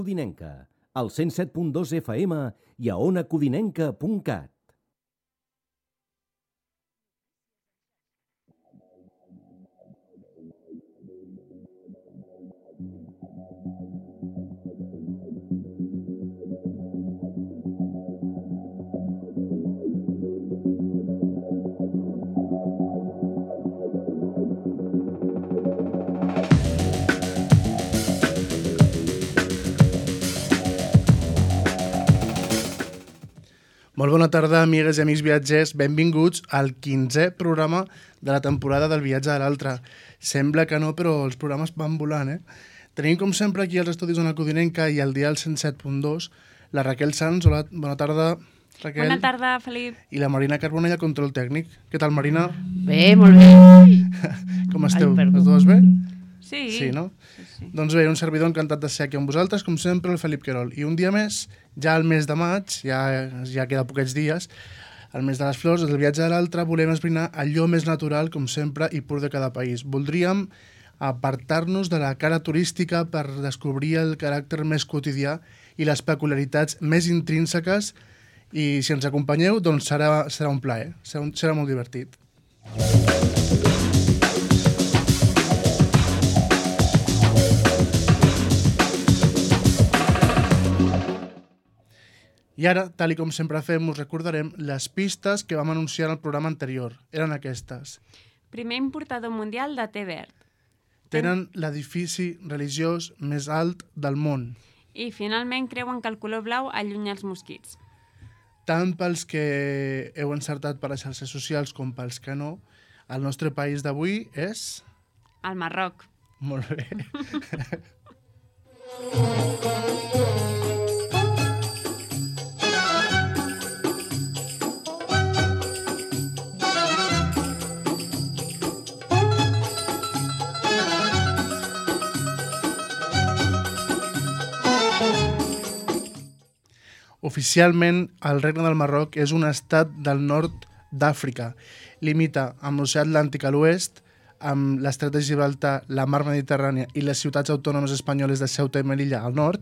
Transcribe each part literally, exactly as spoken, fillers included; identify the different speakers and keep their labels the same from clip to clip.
Speaker 1: Codinenca, al cent set punt dos F M i a ona codinenca punt cat.
Speaker 2: Molt bona tarda, amigues i amics viatgers. Benvinguts al quinzè programa de la temporada del Viatge de l'Altre. Sembla que no, però els programes van volant, eh? Tenim, com sempre, aquí als estudis d'Ona Codinenca i al dial cent set punt dos la Raquel Sanz. Hola, bona tarda, Raquel.
Speaker 3: Bona tarda, Felip.
Speaker 2: I la Marina Carbonell, al control tècnic. Què tal, Marina?
Speaker 4: Bé, molt bé.
Speaker 2: Com esteu?
Speaker 4: Ai,
Speaker 2: Les dues bé?
Speaker 3: Sí.
Speaker 2: Sí, no?
Speaker 3: Sí, sí.
Speaker 2: Doncs bé, un servidor encantat de ser aquí amb vosaltres, com sempre, el Felip Querol. I un dia més, ja al mes de maig, ja, ja queda poquets dies, al mes de les flors, del Viatge de l'Altre, volem esbrinar allò més natural, com sempre, i pur de cada país. Voldríem apartar-nos de la cara turística per descobrir el caràcter més quotidià i les peculiaritats més intrínseques, i si ens acompanyeu, doncs serà, serà un plaer, serà, un, serà molt divertit. I ara, tal i com sempre fem, us recordarem les pistes que vam anunciar en el programa anterior. Eren aquestes.
Speaker 3: Primer importador mundial de té verd.
Speaker 2: Tenen l'edifici religiós més alt del món.
Speaker 3: I finalment creuen que el color blau allunya els mosquits.
Speaker 2: Tant pels que heu encertat per les xarxes socials com pels que no, el nostre país d'avui és...
Speaker 3: El Marroc.
Speaker 2: Molt bé. Oficialment, el Regne del Marroc és un estat del nord d'Àfrica. Limita amb l'oceà Atlàntic a l'oest, amb l'estret de Gibraltar, la mar Mediterrània i les ciutats autònomes espanyoles de Ceuta i Melilla al nord,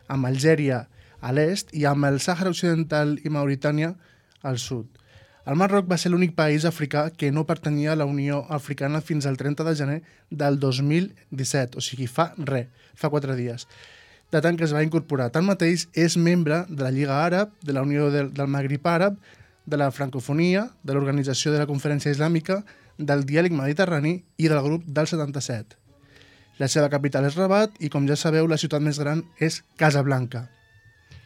Speaker 2: amb Algèria a l'est i amb el Sàhara Occidental i Mauritània al sud. El Marroc va ser l'únic país africà que no pertanyia a la Unió Africana fins al trenta de gener del dos mil disset, o sigui, fa res, fa quatre dies. De tant que es va incorporar. Tanmateix, és membre de la Lliga Àrab, de la Unió del, del Magrib Àrab, de la Francofonia, de l'Organització de la Conferència Islàmica, del Diàleg Mediterrani i del grup del setanta-set. La seva capital és Rabat i, com ja sabeu, la ciutat més gran és Casablanca.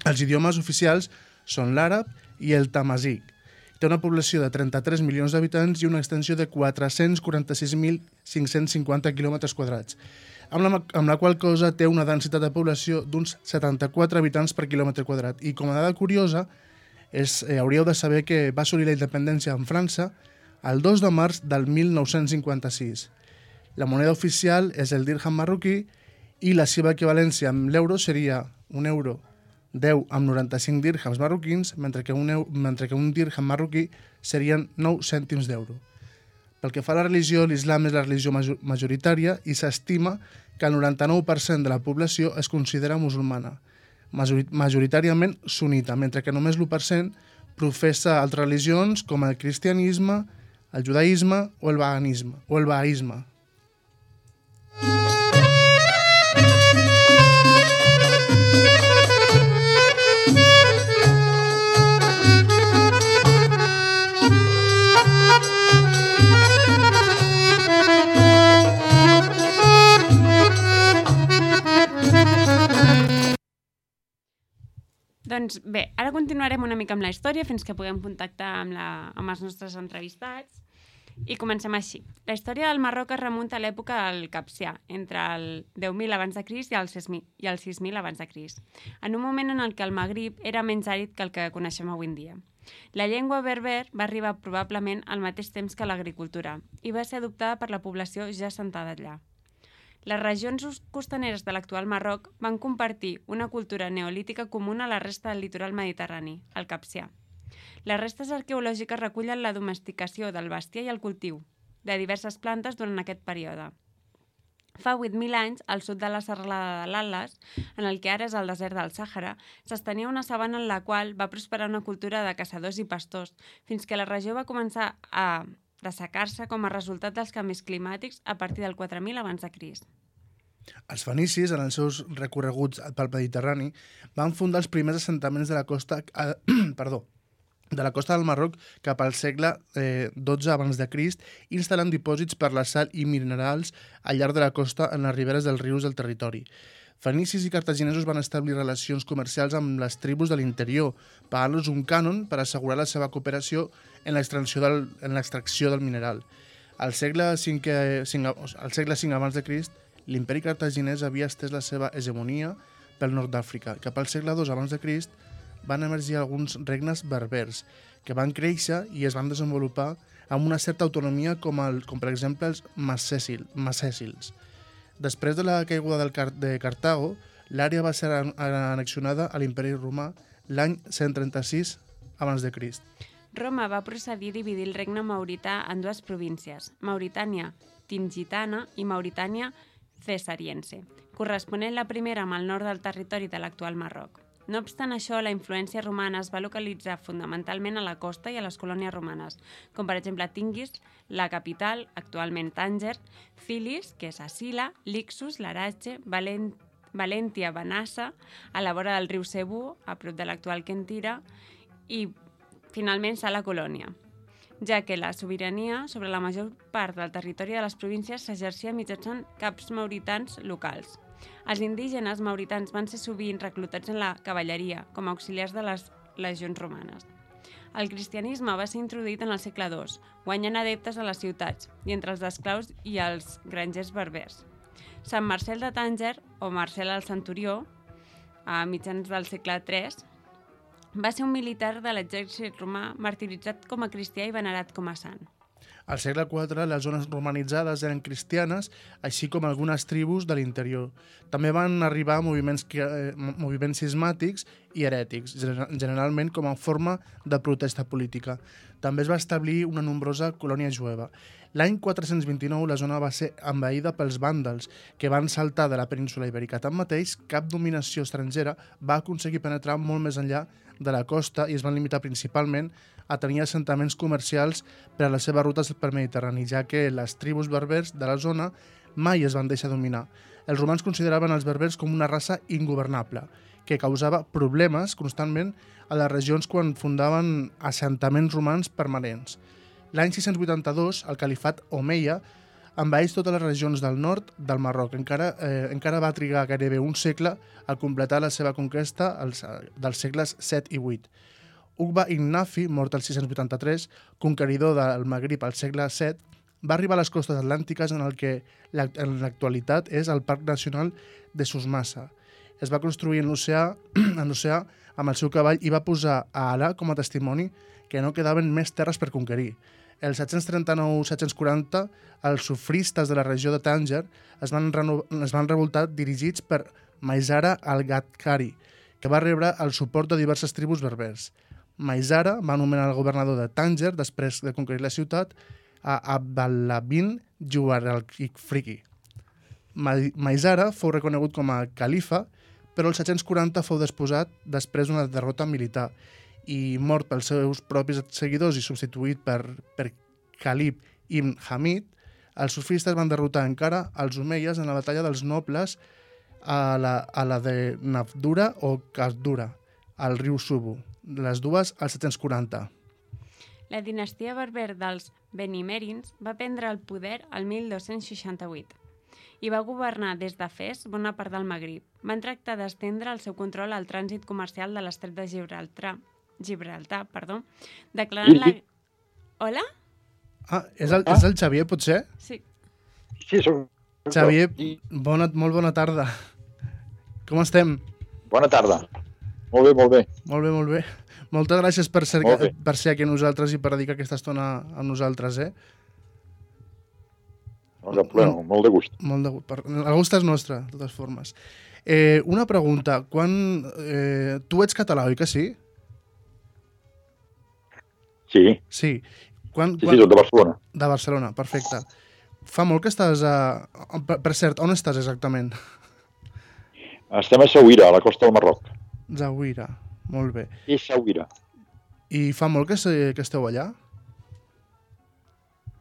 Speaker 2: Els idiomes oficials són l'àrab i el tamazic. Té una població de trenta-tres milions d'habitants i una extensió de quatre-cents quaranta-sis mil cinc-cents cinquanta quilòmetres quadrats, amb la, amb la qual cosa té una densitat de població d'uns setanta-quatre habitants per quilòmetre quadrat. I com a dada curiosa, és, eh, hauríeu de saber que va assolir la independència en França el dos de març del mil nou-cents cinquanta-sis. La moneda oficial és el dirham marroquí i la seva equivalència amb l'euro seria un euro deu amb noranta-cinc dirhams marroquins, mentre que un, eu, mentre que un dirham marroquí serien nou cèntims d'euro. Pel que fa a la religió, l'islam és la religió majoritària i s'estima que el noranta-nou per cent de la població es considera musulmana, majoritàriament sunita, mentre que només l'u per cent professa altres religions com el cristianisme, el judaïsme o el veganisme, o el bahaisme.
Speaker 3: Doncs bé, ara continuarem una mica amb la història fins que puguem contactar amb, la, amb els nostres entrevistats. I comencem així. La història del Marroc es remunta a l'època del Capsià, entre el deu mil abans de Crist i el sis mil abans de Crist, en un moment en el què el Magrib era menys àrid que el que coneixem avui en dia. La llengua berber va arribar probablement al mateix temps que l'agricultura i va ser adoptada per la població ja assentada allà. Les regions costaneres de l'actual Marroc van compartir una cultura neolítica comuna a la resta del litoral mediterrani, el Capsià. Les restes arqueològiques recullen la domesticació del bestiar i el cultiu de diverses plantes durant aquest període. Fa vuit mil anys, al sud de la serralada de l'Atlas, en el que ara és el desert del Sàhara, s'estenia una sabana en la qual va prosperar una cultura de caçadors i pastors, fins que la regió va començar a dessecar-se com a resultat dels canvis climàtics a partir del quatre mil abans de Crist.
Speaker 2: Els fenicis, en els seus recorreguts pel Mediterrani, van fundar els primers assentaments de la costa, eh, perdó, de la costa del Marroc cap al segle eh, dotze abans de Crist, instal·lant dipòsits per la sal i minerals al llarg de la costa en les riberes dels rius del territori. Fenicis i cartaginesos van establir relacions comercials amb les tribus de l'interior, pagant-los un cànon per assegurar la seva cooperació en l'extracció del, en l'extracció del mineral. Al segle cinquè, al segle cinc abans de Crist, l'imperi cartaginès havia estès la seva hegemonia pel nord d'Àfrica. Cap al segle dos abans de Crist van emergir alguns regnes berbers que van créixer i es van desenvolupar amb una certa autonomia com, el, com per exemple els macècils. Després de la caiguda del Car de Cartago, l'àrea va ser annexionada a l'imperi romà l'any cent trenta-sis abans de Crist.
Speaker 3: Roma va procedir a dividir el regne maurità en dues províncies, Mauritània Tingitana i Mauritània Cesariense, corresponent la primera amb el nord del territori de l'actual Marroc. No obstant això, la influència romana es va localitzar fonamentalment a la costa i a les colònies romanes, com per exemple Tingis, la capital, actualment Tànger, Filis, que és a Sila, Lixus, Larache, Valent Valentia, Benassa, a la vora del riu Cebu, a prop de l'actual Quentira, i finalment Sala Colònia, ja que la sobirania sobre la major part del territori de les províncies s'exercia mitjançant caps mauritans locals. Els indígenes mauritans van ser sovint reclutats en la cavalleria com a auxiliars de les legions romanes. El cristianisme va ser introduït en el segle dos, guanyant adeptes a les ciutats i entre els esclaus i els grangers berbers. Sant Marcel de Tànger, o Marcel el Centurió, a mitjans del segle tres, va ser un militar de l'exèrcit romà martiritzat com a cristià i venerat com a sant.
Speaker 2: Al segle quatre, les zones romanitzades eren cristianes, així com algunes tribus de l'interior. També van arribar moviments, eh, moviments cismàtics i herètics, generalment com a forma de protesta política. També es va establir una nombrosa colònia jueva. L'any quatre-cents vint-i-nou la zona va ser envaïda pels vàndals, que van saltar de la península ibèrica. Tanmateix, cap dominació estrangera va aconseguir penetrar molt més enllà de la costa i es van limitar principalment a tenir assentaments comercials per a les seves rutes per Mediterrani, ja que les tribus berbers de la zona mai es van deixar dominar. Els romans consideraven els berbers com una raça ingovernable, que causava problemes constantment a les regions quan fundaven assentaments romans permanents. L'any sis-cents vuitanta-dos, el califat Omeia envaeix totes les regions del nord del Marroc. Encara, eh, encara va trigar gairebé un segle a completar la seva conquesta als, dels segles set i vuit. Uqba ibn Nafi, mort el sis-cents vuitanta-tres, conqueridor del Magrib al segle set, va arribar a les costes atlàntiques en el que en l'actualitat és el Parc Nacional de Souss-Massa. Es va construir en l'oceà en l'oceà amb el seu cavall i va posar a Alà com a testimoni que no quedaven més terres per conquerir. El set-cents trenta-nou set-cents quaranta, els sufristes de la regió de Tànger es van, es van revoltar dirigits per Maisara al-Ghadkari, que va rebre el suport de diverses tribus berbers. Maisara va anomenar el governador de Tànger, després de conquerir la ciutat, a Abdallah bin Juwar al-Ifriqi. Maisara fou reconegut com a califa, però el set-cents quaranta fou desposat després d'una derrota militar i mort pels seus propis seguidors i substituït per, per Khalid ibn Hamid, els sufistes van derrotar encara els omeies en la batalla dels nobles a la, a la de Nafdura o Kasdura, al riu Subu, les dues al set-cents quaranta.
Speaker 3: La dinastia berber dels Benimerins va prendre el poder al mil dos-cents seixanta-vuit i va governar des de Fes bona part del Magrib. Van tractar d'estendre el seu control al trànsit comercial de l'estret de Gibraltar, Gibraltar, perdó, declarant la... Hola?
Speaker 2: Ah, és el, és el Xavier, potser?
Speaker 3: Sí.
Speaker 5: Sí, soc...
Speaker 2: Xavier, bona, molt bona tarda. Com estem?
Speaker 5: Bona tarda. Molt bé, molt bé.
Speaker 2: Molt bé, molt bé. Moltes gràcies per ser, per ser aquí amb nosaltres i per dedicar aquesta estona a nosaltres, eh?
Speaker 5: No cap problema, molt de gust.
Speaker 2: Molt de gust. El gust és nostre, de totes formes. Eh, una pregunta. Quan, eh, tu ets català, oi que sí?
Speaker 5: Sí.
Speaker 2: Sí. Quan,
Speaker 5: sí,
Speaker 2: quan...
Speaker 5: sí, soc de Barcelona.
Speaker 2: De Barcelona, perfecte. Fa molt que estàs a... Per, per cert, on estàs exactament?
Speaker 5: Estem a Saouira, a la costa del Marroc.
Speaker 2: Zaouira, molt bé.
Speaker 5: I Saouira.
Speaker 2: I fa molt que, se, que esteu allà?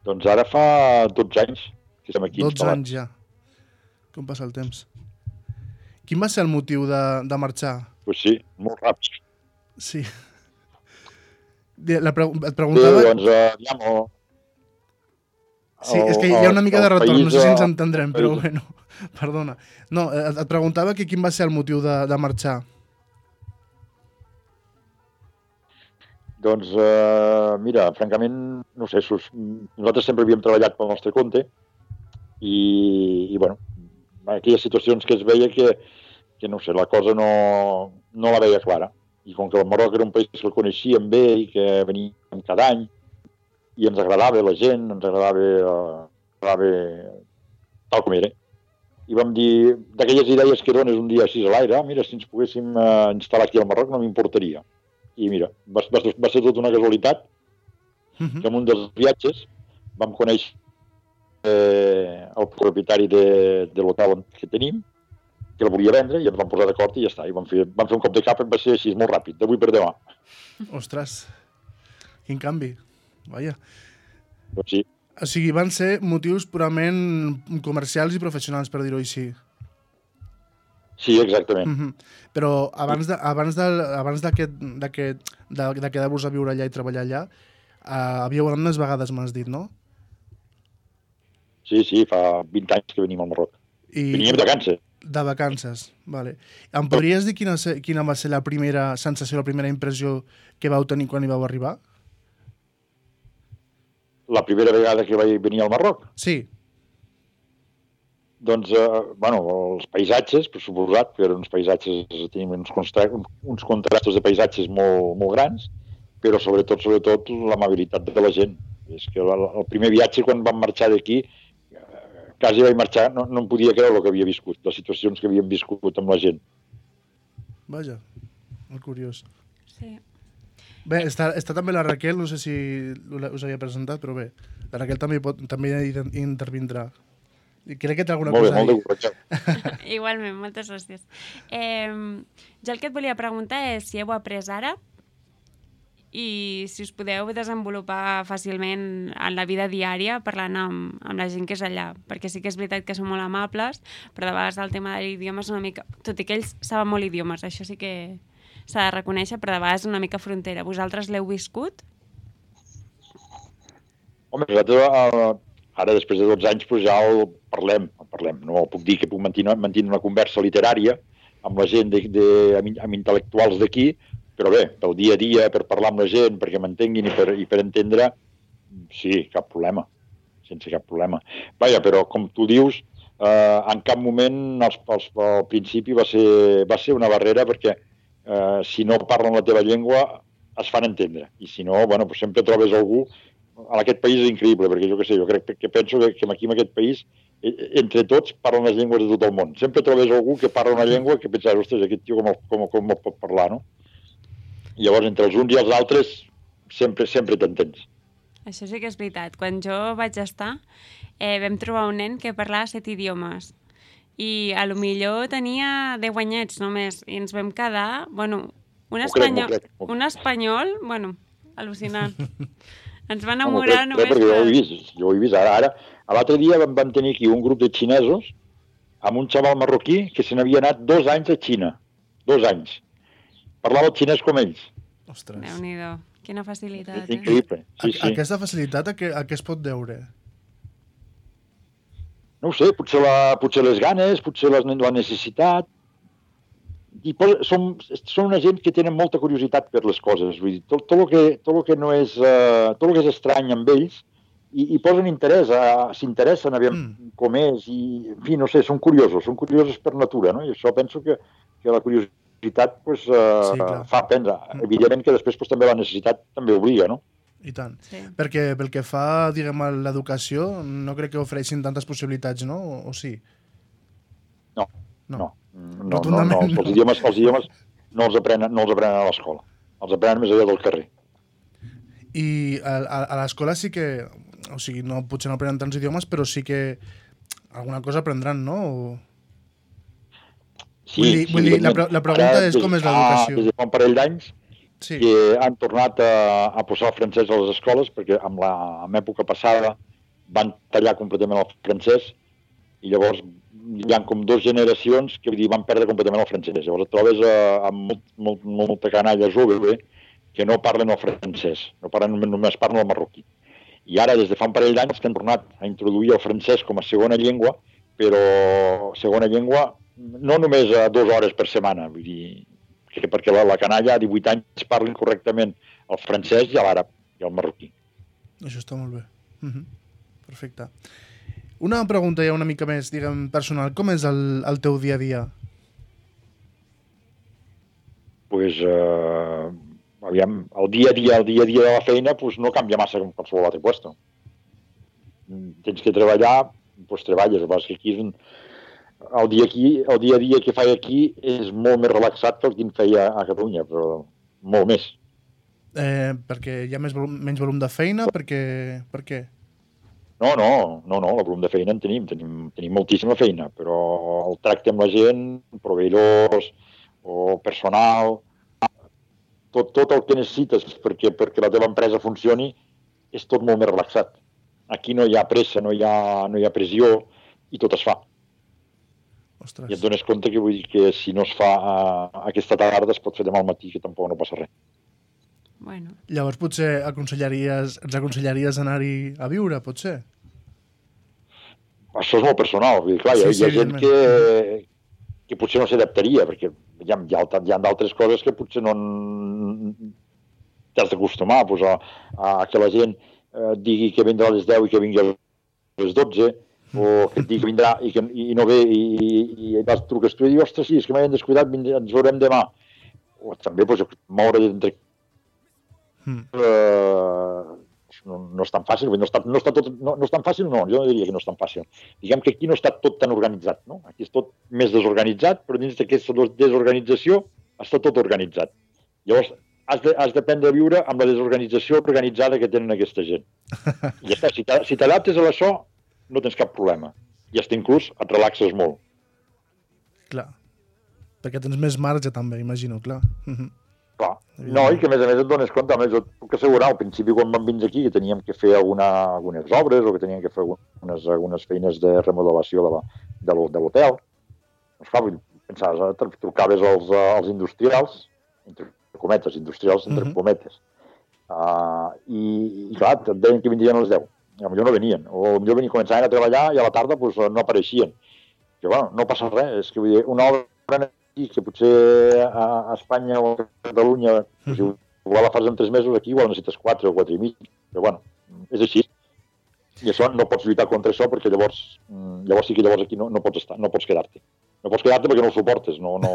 Speaker 5: Doncs ara fa dotze anys que estem aquí
Speaker 2: dotze
Speaker 5: instal·lats.
Speaker 2: anys ja. Com passa el temps? Quin va ser el motiu de, de marxar?
Speaker 5: Pues sí, molt ràpid.
Speaker 2: Sí. La pre et
Speaker 5: Sí,
Speaker 2: preguntava...
Speaker 5: doncs, eh, aviam, el,
Speaker 2: Sí, és que hi ha una mica de retorn, no sé si ens
Speaker 5: eh,
Speaker 2: entendrem, però bueno, perdona. No, et, et preguntava que quin va ser el motiu de, de marxar.
Speaker 5: Doncs, eh, mira, francament, no sé, sus, nosaltres sempre havíem treballat pel nostre compte i, i bueno, aquelles situacions que es veia que, que no sé, la cosa no, no la veia clara. I com que el Marroc era un país que el coneixíem bé i que veníem cada any, i ens agradava la gent, ens agradava, eh, agradava tal com era. I vam dir, d'aquelles idees que dones un dia així a l'aire, ah, mira, si ens poguéssim eh, instal·lar aquí al Marroc no m'importaria. I mira, va, va, va ser tota una casualitat
Speaker 2: Uh-huh.
Speaker 5: que en un dels viatges vam conèixer eh, el propietari de, de l'hotel que tenim, que el volia vendre, i ens vam posar d'acord i ja està. I vam fer, vam fer un cop de cap i va ser així, molt ràpid, d'avui per demà.
Speaker 2: Ostres, quin canvi. Vaja.
Speaker 5: Doncs sí.
Speaker 2: O sigui, van ser motius purament comercials i professionals, per dir-ho així.
Speaker 5: Sí, exactament.
Speaker 2: Uh-huh. Però abans de, abans de, abans d'aquest, d'aquest, de, de quedar-vos a viure allà i treballar allà, uh, havíeu anat unes vegades, m'has dit, no?
Speaker 5: Sí, sí, fa vint anys que venim al Marroc.
Speaker 2: I...
Speaker 5: Veníem de vacances.
Speaker 2: De vacances, vale. Em podries dir quina, se, quina va ser la primera sensació, la primera impressió que vau tenir quan hi vau arribar?
Speaker 5: La primera vegada que vaig venir al Marroc?
Speaker 2: Sí.
Speaker 5: Doncs, eh, bueno, els paisatges, per suposat, que eren uns paisatges, tenim uns, constra uns contrastos de paisatges molt, molt grans, però sobretot, sobretot, l'amabilitat de la gent. És que el, el primer viatge, quan vam marxar d'aquí, eh, quasi vaig marxar, no, no em podia creure el que havia viscut, les situacions que havíem viscut amb la gent.
Speaker 2: Vaja, molt curiós.
Speaker 3: Sí.
Speaker 2: Bé, està, està també la Raquel, no sé si us havia presentat, però bé, la Raquel també, pot, també intervindrà. I crec que té alguna
Speaker 5: molt
Speaker 2: cosa
Speaker 5: bé,
Speaker 2: a dir.
Speaker 5: molt bé,
Speaker 3: Igualment, moltes gràcies. Eh, jo el que et volia preguntar és si heu après ara i si us podeu desenvolupar fàcilment en la vida diària parlant amb, amb la gent que és allà, perquè sí que és veritat que són molt amables, però de vegades el tema de l'idioma és una mica... Tot i que ells saben molt idiomes, això sí que s'ha de reconèixer, però de vegades és una mica frontera. Vosaltres l'heu viscut?
Speaker 5: Home, nosaltres, eh, ara, després de dotze anys, pues ja el parlem, el parlem. No puc dir que puc mantenir, mantenir una conversa literària amb la gent, de, de, amb, amb intel·lectuals d'aquí, però bé, pel dia a dia, per parlar amb la gent, perquè m'entenguin i, per, i per entendre, sí, cap problema, sense cap problema. Vaja, però com tu dius, eh, en cap moment, als, als, al principi, va ser, va ser una barrera, perquè eh, si no parlen la teva llengua, es fan entendre. I si no, bueno, pues sempre trobes algú. En aquest país és increïble, perquè jo què sé, jo crec que penso que, que aquí en aquest país, entre tots, parlen les llengües de tot el món. Sempre trobes algú que parla una llengua que penses, ostres, aquest tio com, com, com el pot parlar, no? I llavors, entre els uns i els altres, sempre sempre t'entens.
Speaker 3: Això sí que és veritat. Quan jo vaig estar, eh, vam trobar un nen que parlava set idiomes. I a lo millor tenia deu anyets només. I ens vam quedar, bueno, un espanyol,
Speaker 5: crec, crec.
Speaker 3: un espanyol, bueno, al·lucinant. Ens va
Speaker 5: No,
Speaker 3: enamorar
Speaker 5: no,
Speaker 3: només...
Speaker 5: perquè jo ho he
Speaker 3: per-
Speaker 5: vist, jo ho he vist. Ara, ara l'altre dia vam, vam tenir aquí un grup de xinesos amb un xaval marroquí que se n'havia anat dos anys a Xina. Dos anys. Parlava el xinès com ells.
Speaker 2: Ostres.
Speaker 3: Déu-n'hi-do, quina facilitat,
Speaker 5: És
Speaker 3: eh?
Speaker 5: increïble. Sí,
Speaker 2: A,
Speaker 5: sí.
Speaker 2: aquesta facilitat a què, a què es pot deure?
Speaker 5: No ho sé, potser, la, potser les ganes, potser les, la necessitat. I posa, són, són una gent que tenen molta curiositat per les coses. Vull dir, tot, tot, el que, tot el que no és, uh, tot el que és estrany amb ells, i, i posen interès, uh, s'interessen a veure
Speaker 2: Mm.
Speaker 5: com és, i, en fi, no sé, són curiosos, són curiosos per natura, no? I això penso que, que la curiositat pues, uh,
Speaker 2: Sí, clar.
Speaker 5: fa aprendre.
Speaker 2: Mm.
Speaker 5: Evidentment que després pues, també la necessitat també obliga, no?
Speaker 2: I tant.
Speaker 3: Sí.
Speaker 2: Perquè pel que fa, diguem, a l'educació, no crec que ofereixin tantes possibilitats, no? O, o sí?
Speaker 5: No,
Speaker 2: No.
Speaker 5: no. No, no, no,
Speaker 2: Rotundament
Speaker 5: els,
Speaker 2: no.
Speaker 5: idiomes, els idiomes no els aprenen, no els aprenen a l'escola. Els aprenen més allà del carrer.
Speaker 2: I a, a, a l'escola sí que... o sigui, no, potser no aprenen tants idiomes, però sí que alguna cosa aprendran, no? O...
Speaker 5: Sí,
Speaker 2: vull dir,
Speaker 5: sí,
Speaker 2: vull dir la, pre la pregunta
Speaker 5: ara,
Speaker 2: és com és
Speaker 5: fa,
Speaker 2: l'educació.
Speaker 5: Des de fa un parell d'anys
Speaker 2: Sí.
Speaker 5: que han tornat a, a posar el francès a les escoles, perquè amb la amb època passada van tallar completament el francès i llavors hi ha com dues generacions que vull dir, van perdre completament el francès. Llavors et trobes eh, amb molt, molt, molta canalla jove que no parlen el francès, no parlen, només parlen el marroquí. I ara, des de fa un parell d'anys, que han tornat a introduir el francès com a segona llengua, però segona llengua no només a dues hores per setmana, vull dir, que perquè la, la canalla a divuit anys parlen correctament el francès i l'àrab i el marroquí.
Speaker 2: Això està molt bé. Uh -huh. Perfecte. Una pregunta ja una mica més, diguem, personal. Com és el, el teu dia a dia?
Speaker 5: Pues, eh, aviam, el dia a dia, el dia a dia de la feina pues, no canvia massa com qualsevol altre puesto. Tens que treballar, pues treballes. El que aquí és un... El dia, aquí, el dia a dia que faig aquí és molt més relaxat que el que en feia a Catalunya, però molt més.
Speaker 2: Eh, perquè hi ha més volum, menys volum de feina? Perquè... Per què?
Speaker 5: No, no, no, no, el volum de feina en tenim, tenim, tenim moltíssima feina, però el tracte amb la gent, proveïdors o personal, tot, tot el que necessites perquè, perquè la teva empresa funcioni és tot molt més relaxat. Aquí no hi ha pressa, no hi ha, no hi ha pressió i tot es fa.
Speaker 2: Ostres.
Speaker 5: I et dones compte que vull dir que si no es fa a, a aquesta tarda es pot fer demà al matí, que tampoc no passa res.
Speaker 3: Bueno.
Speaker 2: Llavors potser aconsellaries, ens aconsellaries anar-hi a viure, potser?
Speaker 5: Això és molt personal. Vull dir, clar,
Speaker 2: Sí,
Speaker 5: hi ha,
Speaker 2: sí,
Speaker 5: hi ha gent que, que potser no s'adaptaria, perquè hi ha, hi ha, hi ha d'altres coses que potser no t'has d'acostumar pues, a, a que la gent eh, digui que vindrà a les deu i que vingui a les dotze, o que et digui que vindrà i, que, i no ve i, i, i vas truques tu i dius, ostres, sí, és que m'havien descuidat, ens veurem demà. O també pues, moure entre... Mm. Uh, no, no és tan fàcil, no està, no, està tot, no, no és tan fàcil, no, jo no diria que no és tan fàcil. Diguem que aquí no està tot tan organitzat, no? Aquí és tot més desorganitzat, però dins d'aquesta desorganització està tot organitzat. Llavors, has de, has d'aprendre a viure amb la desorganització organitzada que tenen aquesta gent. I ja està, si t'adaptes a això, no tens cap problema. I hasta inclús et relaxes molt.
Speaker 2: Clar. Perquè tens més marge també, imagino, clar.
Speaker 5: Clar. No, i que a més a més et dones compte, a més jo et puc assegurar, al principi quan vam vindre aquí que teníem que fer alguna, algunes obres o que teníem que fer algunes, algunes feines de remodelació de, la, de l'hotel. Doncs clar, pensaves, trucaves als, als industrials, entre cometes, industrials entre uh -huh. cometes, uh, i, i clar, et deien que vindrien a les deu. Potser no venien, o potser venien, començaven a treballar i a la tarda pues, no apareixien. Que, bueno, no passa res, és que vull dir, una obra aquí, que potser a, a Espanya o a Catalunya, pues, uh-huh. igual la fas en tres mesos, aquí igual necessites quatre o quatre i mig, però bueno, és així. I això no pots lluitar contra això perquè llavors, llavors sí que llavors aquí no, no pots estar, no pots quedar-te. No pots quedar-te perquè no ho suportes, no... no...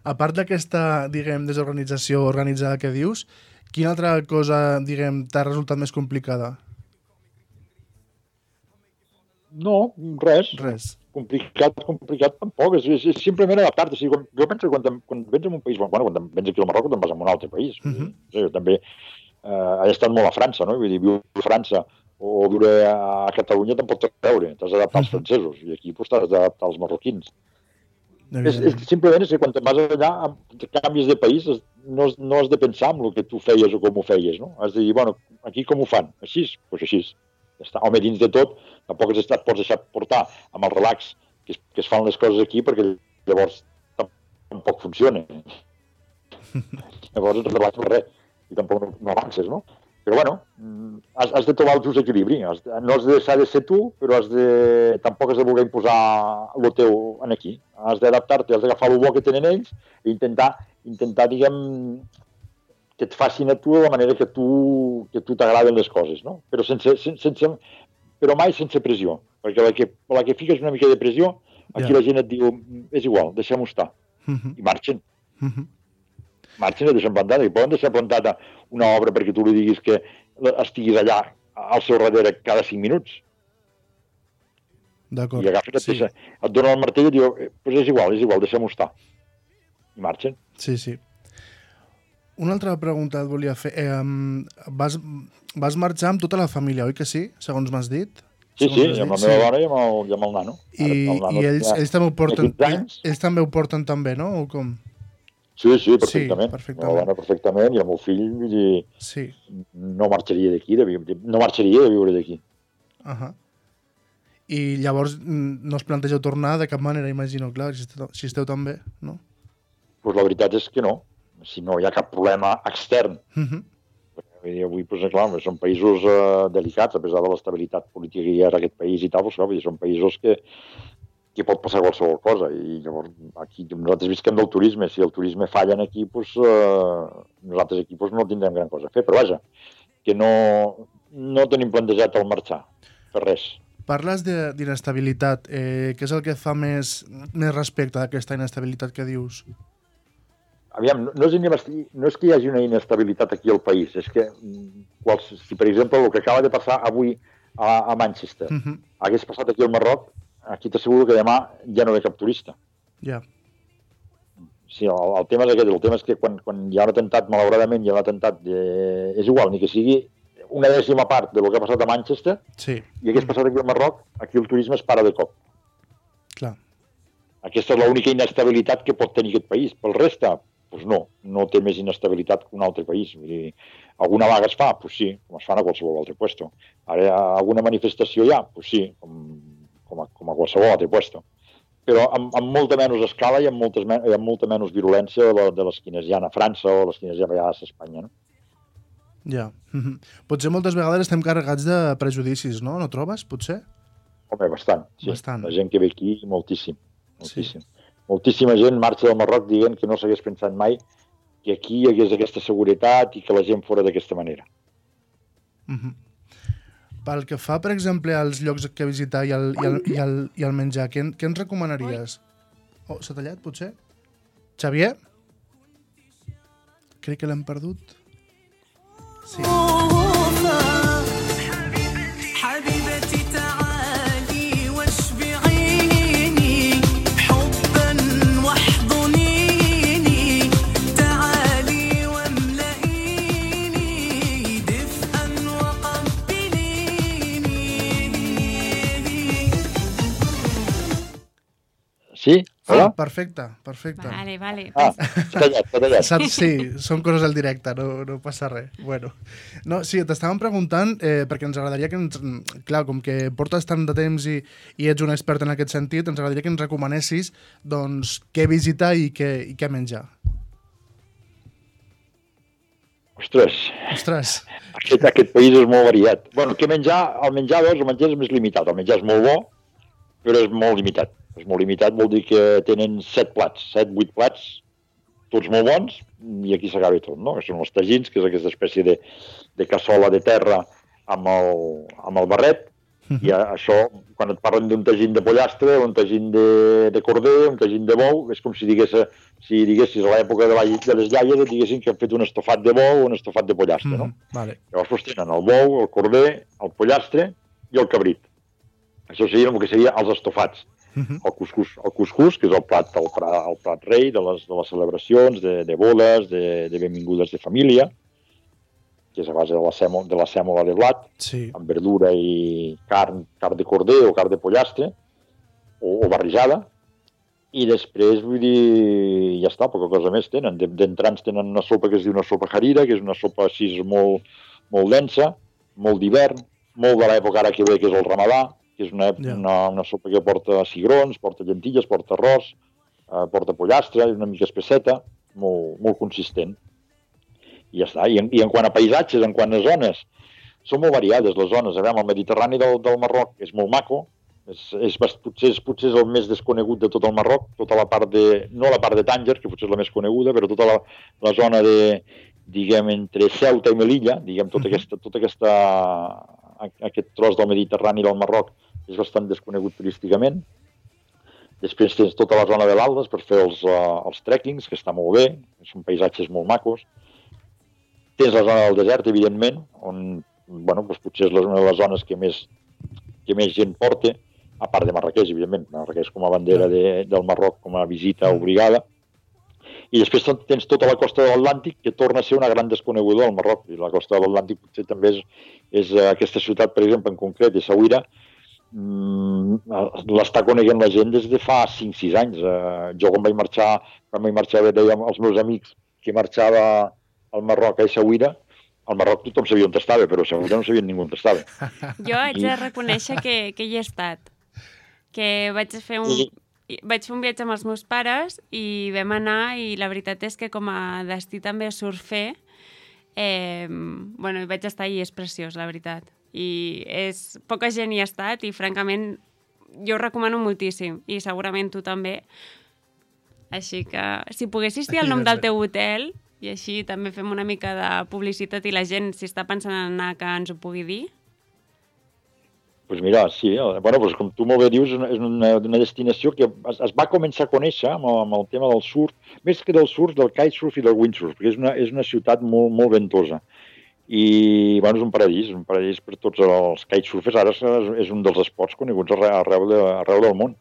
Speaker 2: A part d'aquesta, diguem, desorganització organitzada que dius, quina altra cosa, diguem, t'ha resultat més complicada?
Speaker 5: No, res.
Speaker 2: Res.
Speaker 5: Complicat, complicat tampoc. És, és, és simplement adaptar-te. O sigui, quan, jo penso que quan, quan vens en un país... Bueno, quan vens aquí al Marroc, te'n vas a un altre país. Uh -huh. o sigui, jo també eh, he estat molt a França, no? Vull dir, viure a França o viure a Catalunya te'n pots treure. T'has d'adaptar als francesos. I aquí pues, t'has d'adaptar als marroquins. És, és, simplement és que quan te'n vas allà, canvis de país, no, no has de pensar en el que tu feies o com ho feies, no? Has de dir, bueno, aquí com ho fan? Així? Doncs pues així. Ja està. Home, dins de tot, tampoc has estat, pots deixar portar amb el relax que es, que es fan les coses aquí, perquè llavors tampoc funciona. Llavors et relaxes per res i tampoc no, no avances, no? Però bueno, has, has de trobar el just equilibri. Has de, no has de deixar de ser tu, però has de, tampoc has de voler imposar el teu en aquí. Has d'adaptar-te, has d'agafar el bo que tenen ells i intentar, intentar diguem, que et facin a tu de la manera que tu que tu t'agraden les coses, no? Però, sense, sense, però mai sense pressió. Perquè la que, la que fiques una mica de pressió, aquí yeah. la gent et diu, és igual, deixem-ho estar. Uh -huh. I marxen. Uh -huh. Marxen i deixen plantada. I poden deixar plantada una obra perquè tu li diguis que estiguis allà al seu darrere cada cinc minuts.
Speaker 2: D'acord.
Speaker 5: I agafen, sí. et, et donen el martell i diu, pues és igual, és igual, deixem-ho estar. I marxen.
Speaker 2: Sí, sí. Una altra pregunta et volia fer. Eh, vas, vas marxar amb tota la família, oi que sí? Segons m'has dit.
Speaker 5: Sí,
Speaker 2: Segons
Speaker 5: sí,
Speaker 2: has
Speaker 5: amb la
Speaker 2: dit,
Speaker 5: meva dona i amb el, i amb el nano.
Speaker 2: I,
Speaker 5: el nano
Speaker 2: i ells,
Speaker 5: tenia-
Speaker 2: ells, també ho porten,
Speaker 5: quinze anys.
Speaker 2: ells també ho porten també, no? O com?
Speaker 5: Sí, sí, perfectament.
Speaker 2: Sí, perfectament.
Speaker 5: La dona perfectament i el meu fill, vull dir,
Speaker 2: Sí.
Speaker 5: no marxaria d'aquí, de viure, no marxaria de viure d'aquí.
Speaker 2: Uh -huh. I llavors mm, no us plantegeu tornar de cap manera, imagino, clar, si esteu, si esteu tan bé, no?
Speaker 5: Pues la veritat és que no. Si no hi ha cap problema extern.
Speaker 2: Uh -huh.
Speaker 5: Vull dir, avui, pues, clar, són països eh, delicats, a pesar de l'estabilitat política que hi ha en aquest país i tal, pues, clar, vull dir, són països que, que pot passar qualsevol cosa. I llavors, aquí, nosaltres visquem del turisme. Si el turisme falla aquí, pues, eh, nosaltres aquí pues, no tindrem gran cosa a fer. Però vaja, que no, no tenim plantejat el marxar, per res.
Speaker 2: Parles de- d'inestabilitat. Eh, què és el que et fa més, més respecte d'aquesta inestabilitat que dius?
Speaker 5: Aviam, no, no, és inesti- no és que hi hagi una inestabilitat aquí al país, és que mm, quals, si per exemple el que acaba de passar avui a, a Manchester
Speaker 2: Uh -huh.
Speaker 5: hagués passat aquí al Marroc, aquí t'asseguro que demà ja no ve cap turista.
Speaker 2: Ja.
Speaker 5: Sí, el, el tema és aquest, el tema és que quan, quan hi ha un atemptat, malauradament hi ha un atemptat, de, és igual, ni que sigui una dècima part del que ha passat a Manchester
Speaker 2: Sí,
Speaker 5: i hagués passat aquí al Marroc, aquí el turisme es para de cop.
Speaker 2: clar.
Speaker 5: Aquesta és l'única inestabilitat que pot tenir aquest país. Pel resta, doncs no, no té més inestabilitat que un altre país. Vull dir, alguna vaga es fa? Doncs sí, com es fan a qualsevol altre puesto. Ara, alguna manifestació hi ha? Doncs sí, com, com, a, com a qualsevol altre puesto. Però amb, amb molta menys escala i amb, moltes, men- i amb molta menys virulència de, la, de les quines hi ha a França o les quines hi ha a vegades a Espanya, no?
Speaker 2: Ja. Uh -huh. Potser moltes vegades estem carregats de prejudicis, no? No trobes, potser?
Speaker 5: Home, bastant, sí.
Speaker 2: Bastant.
Speaker 5: La gent que ve aquí, moltíssim. moltíssim. Sí. Moltíssima gent marxa del Marroc dient que no s'hagués pensat mai que aquí hi hagués aquesta seguretat i que la gent fora d'aquesta manera.
Speaker 2: Uh -huh. Pel que fa, per exemple, als llocs que visitar i el, i el, i el, i el menjar, què, en- què ens recomanaries? Oh, s'ha tallat, potser? Xavier? Crec que l'hem perdut. Sí.
Speaker 6: حبيبتي تعالي واشبعيني حبا واحضنيني تعالي واملئيني دفئا وقبليني.
Speaker 5: Sí? Hola?
Speaker 2: Ah, perfecte, perfecte.
Speaker 3: Vale, vale.
Speaker 5: Ah, s'ha tallat, s'ha tallat.
Speaker 2: Saps? Sí, són coses al directe, no, no passa res. Bueno. No, sí, t'estàvem preguntant, eh, perquè ens agradaria que ens... Clar, com que portes tant de temps i, i ets un expert en aquest sentit, ens agradaria que ens recomanessis doncs, què visitar i què, i què menjar.
Speaker 5: Ostres,
Speaker 2: Ostres,
Speaker 5: aquest, aquest país és molt variat. Bueno, què menjar? El menjar, doncs, el menjar és més limitat. El menjar és molt bo, però és molt limitat. És molt limitat, vol dir que tenen set plats, set, vuit plats, tots molt bons, i aquí s'acaba tot, no? Són els tagins, que és aquesta espècie de, de cassola de terra amb el, amb el barret, i a, això, quan et parlen d'un tagín de pollastre, un tagín de, de corder, un tagín de bou, és com si digués, si diguessis a l'època de, la, de les iaies, et diguessin que han fet un estofat de bou o un estofat de pollastre, no?
Speaker 2: mm, vale.
Speaker 5: Llavors doncs, tenen el bou, el corder, el pollastre i el cabrit. Això seria el que seria els estofats.
Speaker 2: Mhm.
Speaker 5: El cuscús, el cuscús, que és el plat, el plat, el plat rei de les, de les celebracions, de, de bodes, de, de benvingudes de família, que és a base de la, sèmola, de la sèmola de blat,
Speaker 2: Sí,
Speaker 5: amb verdura i carn, carn de corder o carn de pollastre, o, o barrejada, i després, vull dir, ja està, poca cosa més tenen. De- D'entrants tenen una sopa que es diu una sopa harira, que és una sopa així molt, molt densa, molt d'hivern, molt de l'època ara que ve, que és el ramadà, que és una,
Speaker 2: Ja.
Speaker 5: una, una sopa que porta cigrons, porta llentilles, porta arròs, eh, porta pollastre, és una mica espesseta, molt, molt consistent. I ja està. I en, I en quant a paisatges, en quant a zones, són molt variades les zones. A veure, el Mediterrani del, del Marroc és molt maco, és, és, bast- potser, és, potser és el més desconegut de tot el Marroc, tota la part de, no la part de Tànger, que potser és la més coneguda, però tota la, la zona de, diguem, entre Ceuta i Melilla, diguem, tota
Speaker 2: Mhm.
Speaker 5: aquesta, tota aquesta, a- aquest tros del Mediterrani del Marroc és bastant desconegut turísticament. Després tens tota la zona de l'Aldes per fer els, uh, els trekkings, que està molt bé, són paisatges molt macos. Tens la zona del desert, evidentment, on, bueno, doncs potser és la- una de les zones que més, que més gent porta, a part de Marrakeix, evidentment. Marrakeix com a bandera de, del Marroc, com a visita obligada. I després tens tota la costa de l'Atlàntic, que torna a ser una gran desconeguda del Marroc. I la costa de l'Atlàntic potser també és, és aquesta ciutat, per exemple, en concret, Essaouira, l'està coneguent la gent des de fa cinc sis anys. Jo quan vaig marxar, quan vaig marxar, deia als meus amics que marxava al Marroc a Essaouira, al Marroc tothom sabia on estava, però a Essaouira no sabia ningú on estava.
Speaker 3: Jo haig de reconèixer que, que hi he estat. Que vaig fer un...
Speaker 5: I...
Speaker 3: Vaig fer un viatge amb els meus pares i vam anar i la veritat és que com a destí també surfer, eh, bueno, hi vaig estar i és preciós, la veritat. I és, poca gent hi ha estat i francament jo ho recomano moltíssim i segurament tu també. Així que si poguessis dir el nom del teu hotel i així també fem una mica de publicitat i la gent, si està pensant en anar, que ens ho pugui dir.
Speaker 5: Doncs pues mira, sí, bueno, pues com tu molt bé dius, és una, una destinació que es, es va començar a conèixer amb el, amb el tema del surf, més que del surf, del kitesurf i del windsurf, perquè és una, és una ciutat molt, molt ventosa. I bueno, és un paradís, un paradís per tots els kitesurfers, ara és, és un dels esports coneguts arreu, de, arreu del món.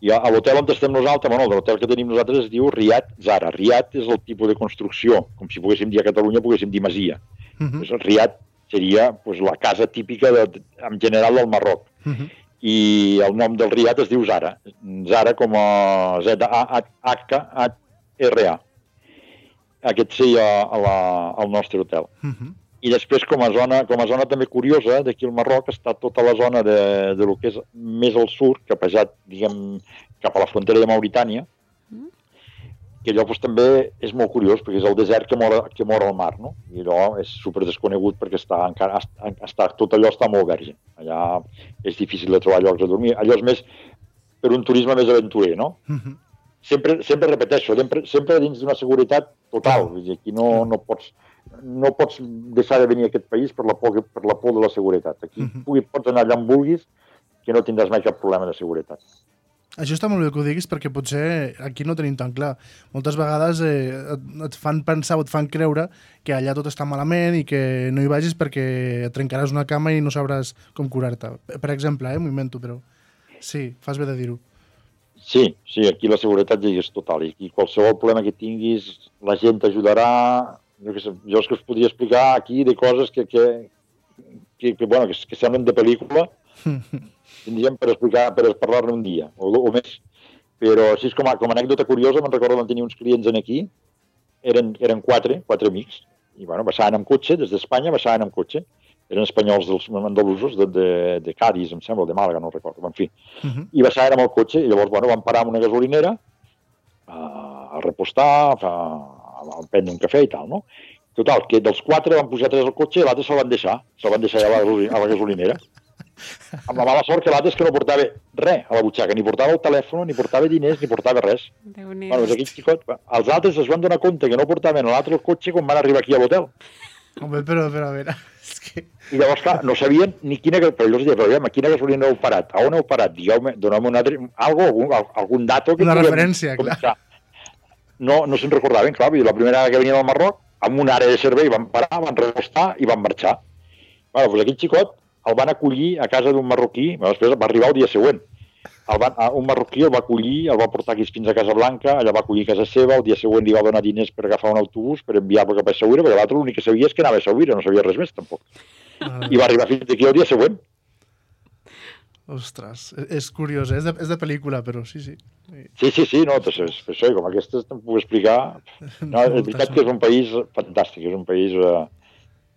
Speaker 5: I a, a l'hotel on estem nosaltres, bueno, l'hotel que tenim nosaltres es diu Riad Zara. Riad és el tipus de construcció, com si poguéssim dir a Catalunya, poguéssim dir masia. Uh-huh. Pues Riad seria pues, la casa típica de, en general del Marroc. Uh-huh. I el nom del Riad es diu Zara. Zara com a Z A H H R A. Aquest seria a la, al nostre hotel. Uh-huh. I després, com a zona, com a zona també curiosa, d'aquí al Marroc està tota la zona de, de lo que és més al sud, capejat, diguem, cap a la frontera de Mauritània, uh-huh. que allò pues, també és molt curiós, perquè és el desert que mora, que mora al mar, no? I allò és super desconegut perquè està, encara, està, tot allò està molt verge. Allà és difícil de trobar llocs a dormir. Allò és més per un turisme més aventurer, no? Uh-huh. Sempre, sempre repeteixo, sempre, sempre dins d'una seguretat total. Vull dir, aquí no, no, pots, no pots deixar de venir a aquest país per la por, per la por de la seguretat. Aquí uh-huh. pugui, pots anar allà on vulguis, que no tindràs mai cap problema de seguretat.
Speaker 2: Això està molt bé que ho diguis perquè potser aquí no tenim tan clar. Moltes vegades eh, et, et fan pensar o et fan creure que allà tot està malament i que no hi vagis perquè et trencaràs una cama i no sabràs com curar-te. Per exemple, eh, m'ho invento, però sí, fas bé de dir-ho.
Speaker 5: Sí, sí, aquí la seguretat ja és total. I aquí qualsevol problema que tinguis, la gent t'ajudarà. Jo, que sé, jo és que us podria explicar aquí de coses que, que, que, que, bueno, que, que semblen de pel·lícula, tindríem per explicar, per parlar-ne un dia, o, o més. Però així com a, com a anècdota curiosa, me'n recordo que tenia uns clients en aquí, eren, eren quatre, quatre amics, i bueno, passaven amb cotxe, des d'Espanya passaven amb cotxe, eren espanyols dels andalusos de, de, de Cádiz, em sembla, de Màlaga, no recordo, en fi. Uh-huh. I passaven amb el cotxe, i llavors, bueno, van parar amb una gasolinera a, a repostar, a, a prendre un cafè i tal, no? Total, que dels quatre van pujar tres al cotxe i l'altre se'l van deixar, se'l van deixar a la, a la gasolinera. Amb la mala sort que l'altre és que no portava res a la butxaca, ni portava el telèfon, ni portava diners, ni portava res. Bueno, aquell xicot, els altres es van donar compte que no portaven l'altre el cotxe quan van arribar aquí a l'hotel.
Speaker 2: Home, però, però, a veure... És que...
Speaker 5: I llavors, clar, no sabien ni quina... Però jo els deia, però aviam, a quina gasolina heu parat? A on heu parat? Digueu-me, doneu-me un altre... Algo, algun, algun dato... Que
Speaker 2: una referència, començar.
Speaker 5: Clar. No, no se'n recordaven, clar, la primera que venien al Marroc, amb una àrea de servei van parar, van repostar i van marxar. Bueno, doncs aquell xicot el van acollir a casa d'un marroquí, després va arribar el dia següent. El van, un marroquí el va acollir, el va portar aquí fins a Casablanca, allà va acollir a casa seva, el dia següent li va donar diners per agafar un autobús, per enviar-lo cap a Essaouira, perquè l'altre l'únic que sabia és que anava a Essaouira, no sabia res més, tampoc. Ah. I va arribar fins aquí el dia següent.
Speaker 2: Ostres, és curiós, eh? és, de, és de pel·lícula, però sí, sí.
Speaker 5: Sí, sí, sí, no, és, és, això, com aquestes te'n puc explicar. No, és veritat que és un país fantàstic, és un país... Eh,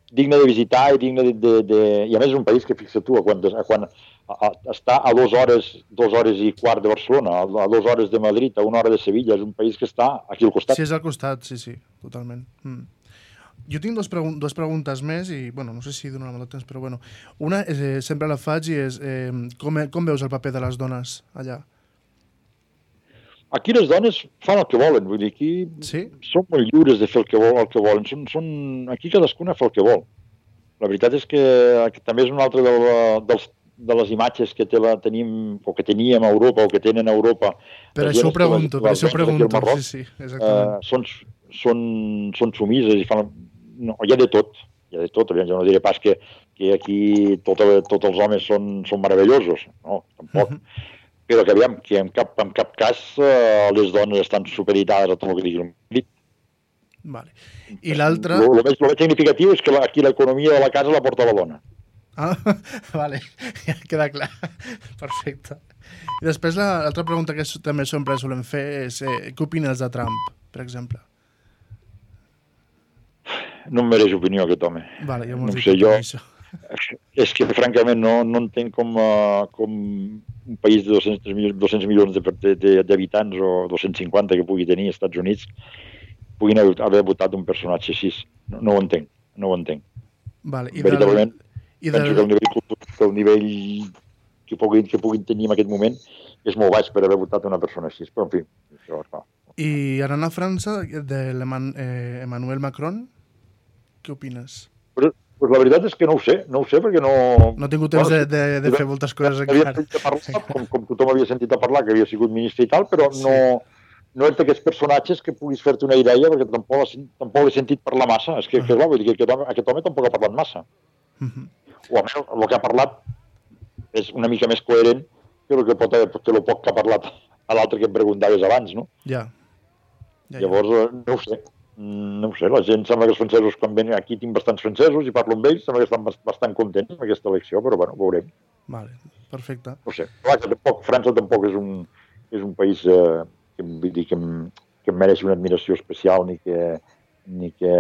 Speaker 5: digne de visitar i digne de, de, de... I a més és un país que, fixa tu, quan, quan a, a, està a dues hores, dues hores i quart de Barcelona, a, a dues hores de Madrid, a una hora de Sevilla, és un país que està aquí al costat.
Speaker 2: Sí, és al costat, sí, sí, totalment. Mm. Jo tinc dos, pregun dos preguntes més i, bueno, no sé si donarà molt de temps, però bueno. Una, eh, sempre la faig i és, eh, com, com veus el paper de les dones allà?
Speaker 5: Aquí les dones fan el que volen, vull dir, aquí
Speaker 2: sí?
Speaker 5: Són molt lliures de fer el que, vol, el que volen, són, són, aquí cadascuna fa el que vol. La veritat és que, que també és una altra de, la, dels, de les imatges que te la tenim, o que teníem a Europa, o que tenen a Europa.
Speaker 2: Per això ho pregunto, per això ho pregunto,
Speaker 5: Marroc,
Speaker 2: sí, sí, exactament.
Speaker 5: Uh, són, són, són sumises i fan... No, hi ha de tot, hi ha de tot, jo no diré pas que, que aquí tot, tots els homes són, són meravellosos, no, tampoc. Uh -huh. però que, aviam, que en cap, en cap cas eh, les dones estan supeditades a tot el que digui el marit.
Speaker 2: Vale. I l'altre...
Speaker 5: El més, lo més significatiu és que la, aquí l'economia de la casa la porta la dona.
Speaker 2: Ah, vale, ja queda clar. Perfecte. I després la- l'altra pregunta que s- també sempre solem fer és eh, què opines de Trump, per exemple?
Speaker 5: No em mereix opinió aquest home.
Speaker 2: Vale, ja
Speaker 5: No
Speaker 2: m'ho
Speaker 5: ho
Speaker 2: has
Speaker 5: sé,
Speaker 2: dit
Speaker 5: jo-
Speaker 2: per això.
Speaker 5: És que, francament, no, no entenc com, uh, com un país de dos-cents milions, dos-cents milions de- de- de- d'habitants o dos-cents cinquanta que pugui tenir als Estats Units puguin haver, haver votat un personatge així. No, no ho entenc, no ho entenc.
Speaker 2: Vale, i del,
Speaker 5: Veritablement,
Speaker 2: i
Speaker 5: penso
Speaker 2: del,
Speaker 5: que el nivell, cultu- que el nivell que, puguin, que puguin tenir en aquest moment és molt baix per haver votat una persona així. Però, en fi, això, clar.
Speaker 2: I anant a França, de l'Emmanuel Macron, què opines?
Speaker 5: Però, pues la veritat és que no ho sé, no ho sé perquè no...
Speaker 2: No he tingut temps de, de, de fer moltes coses
Speaker 5: Havia
Speaker 2: encara.
Speaker 5: sentit a parlar, com, com tothom havia sentit a parlar, que havia sigut ministre i tal, però no, no és d'aquests personatges que puguis fer-te una idea perquè tampoc, l'he- tampoc l'he sentit parlar massa. És que, que clar, vull dir que aquest home, aquest home tampoc ha parlat massa.
Speaker 2: Mhm.
Speaker 5: O almenys el que ha parlat és una mica més coherent que el que pot haver, que el poc que ha parlat a l'altre que em preguntaves abans, no?
Speaker 2: Ja. Ja, ja.
Speaker 5: Llavors, eh, no ho sé. Mm, No ho sé, la gent sembla que els francesos, quan venen aquí tinc bastants francesos i parlo amb ells, sembla que estan bast- bastant contents amb aquesta elecció, però bueno, veurem.
Speaker 2: Vale, perfecte.
Speaker 5: No ho sé. Clar, que tampoc, França tampoc és un, és un país eh, que, vull dir, que, em, que em mereix una admiració especial ni que, ni que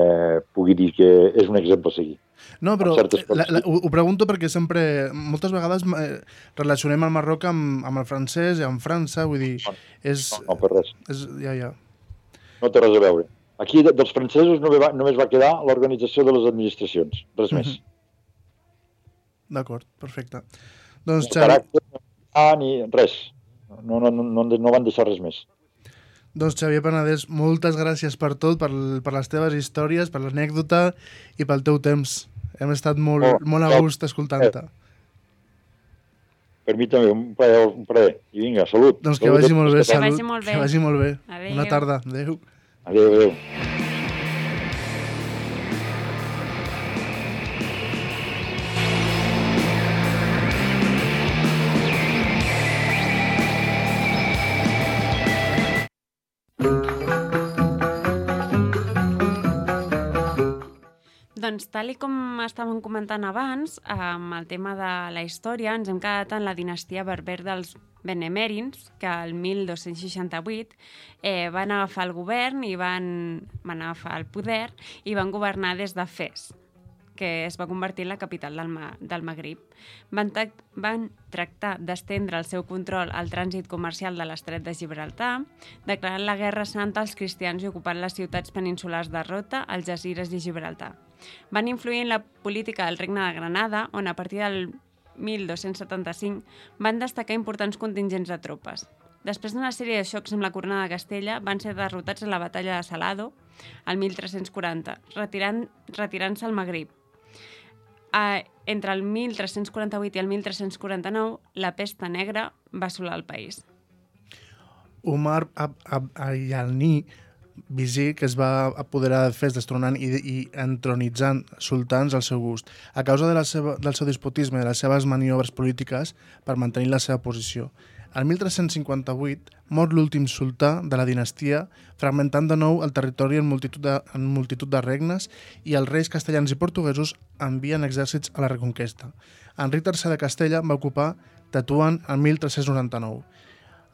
Speaker 5: pugui dir que és un exemple a seguir.
Speaker 2: No, però
Speaker 5: Amb certes
Speaker 2: la, la,
Speaker 5: coses.
Speaker 2: ho, ho pregunto perquè sempre, moltes vegades eh, relacionem el Marroc amb, amb el francès i amb França, vull dir, és...
Speaker 5: No, no per res.
Speaker 2: és ja, ja.
Speaker 5: No té res a veure. Aquí de, dels francesos només va, només va quedar l'organització de les administracions, res més.
Speaker 2: D'acord, perfecte. Doncs,
Speaker 5: Ni
Speaker 2: Xavi,
Speaker 5: caràcter, ah, ni res. No, no, no, no, no van deixar res més.
Speaker 2: doncs Xavier Penedès, moltes gràcies per tot, per, per les teves històries, per l'anècdota i pel teu temps. Hem estat molt,
Speaker 5: Oh,
Speaker 2: molt a
Speaker 5: oh,
Speaker 2: gust escoltant-te.
Speaker 5: Per mi també, un plaer. Un plaer. I vinga, salut.
Speaker 2: Doncs que
Speaker 5: Salut a
Speaker 2: vagi
Speaker 5: tots
Speaker 2: molt bé,
Speaker 5: els
Speaker 3: Que
Speaker 2: salut.
Speaker 3: vagi molt bé.
Speaker 2: Que vagi molt bé.
Speaker 3: Adéu.
Speaker 2: Bona tarda. Adéu.
Speaker 5: Adéu, adéu.
Speaker 3: Doncs tal i com estàvem comentant abans, amb el tema de la història, ens hem quedat en la dinastia berber dels benemèrins, que el mil dos-cents seixanta-vuit eh, van agafar el govern i van, van agafar el poder i van governar des de Fes, que es va convertir en la capital del, Ma del Magrib. Van, van tractar d'estendre el seu control al trànsit comercial de l'estret de Gibraltar, declarant la guerra santa als cristians i ocupant les ciutats peninsulars de Rota, Algesires i Gibraltar. Van influir en la política del Regne de Granada, on a partir del mil dos-cents setanta-cinc van destacar importants contingents de tropes. Després d'una sèrie de xocs amb la corona de Castella, van ser derrotats a la batalla de Salado, al mil tres-cents quaranta, retirant, retirant-se al Magrib. Uh, entre el mil tres-cents quaranta-vuit i el mil tres-cents quaranta-nou, la pesta negra va assolar el país.
Speaker 2: Umar Ab Ab Ayalni, visir que es va apoderar de Fes destronant i, i entronitzant sultans al seu gust, a causa de la seva, del seu despotisme i de les seves maniobres polítiques per mantenir la seva posició. El mil tres-cents cinquanta-vuit mor l'últim sultà de la dinastia, fragmentant de nou el territori en multitud, de, en multitud de regnes, i els reis castellans i portuguesos envien exèrcits a la reconquesta. Enric tercer de Castella va ocupar Tetuan el mil tres-cents noranta-nou.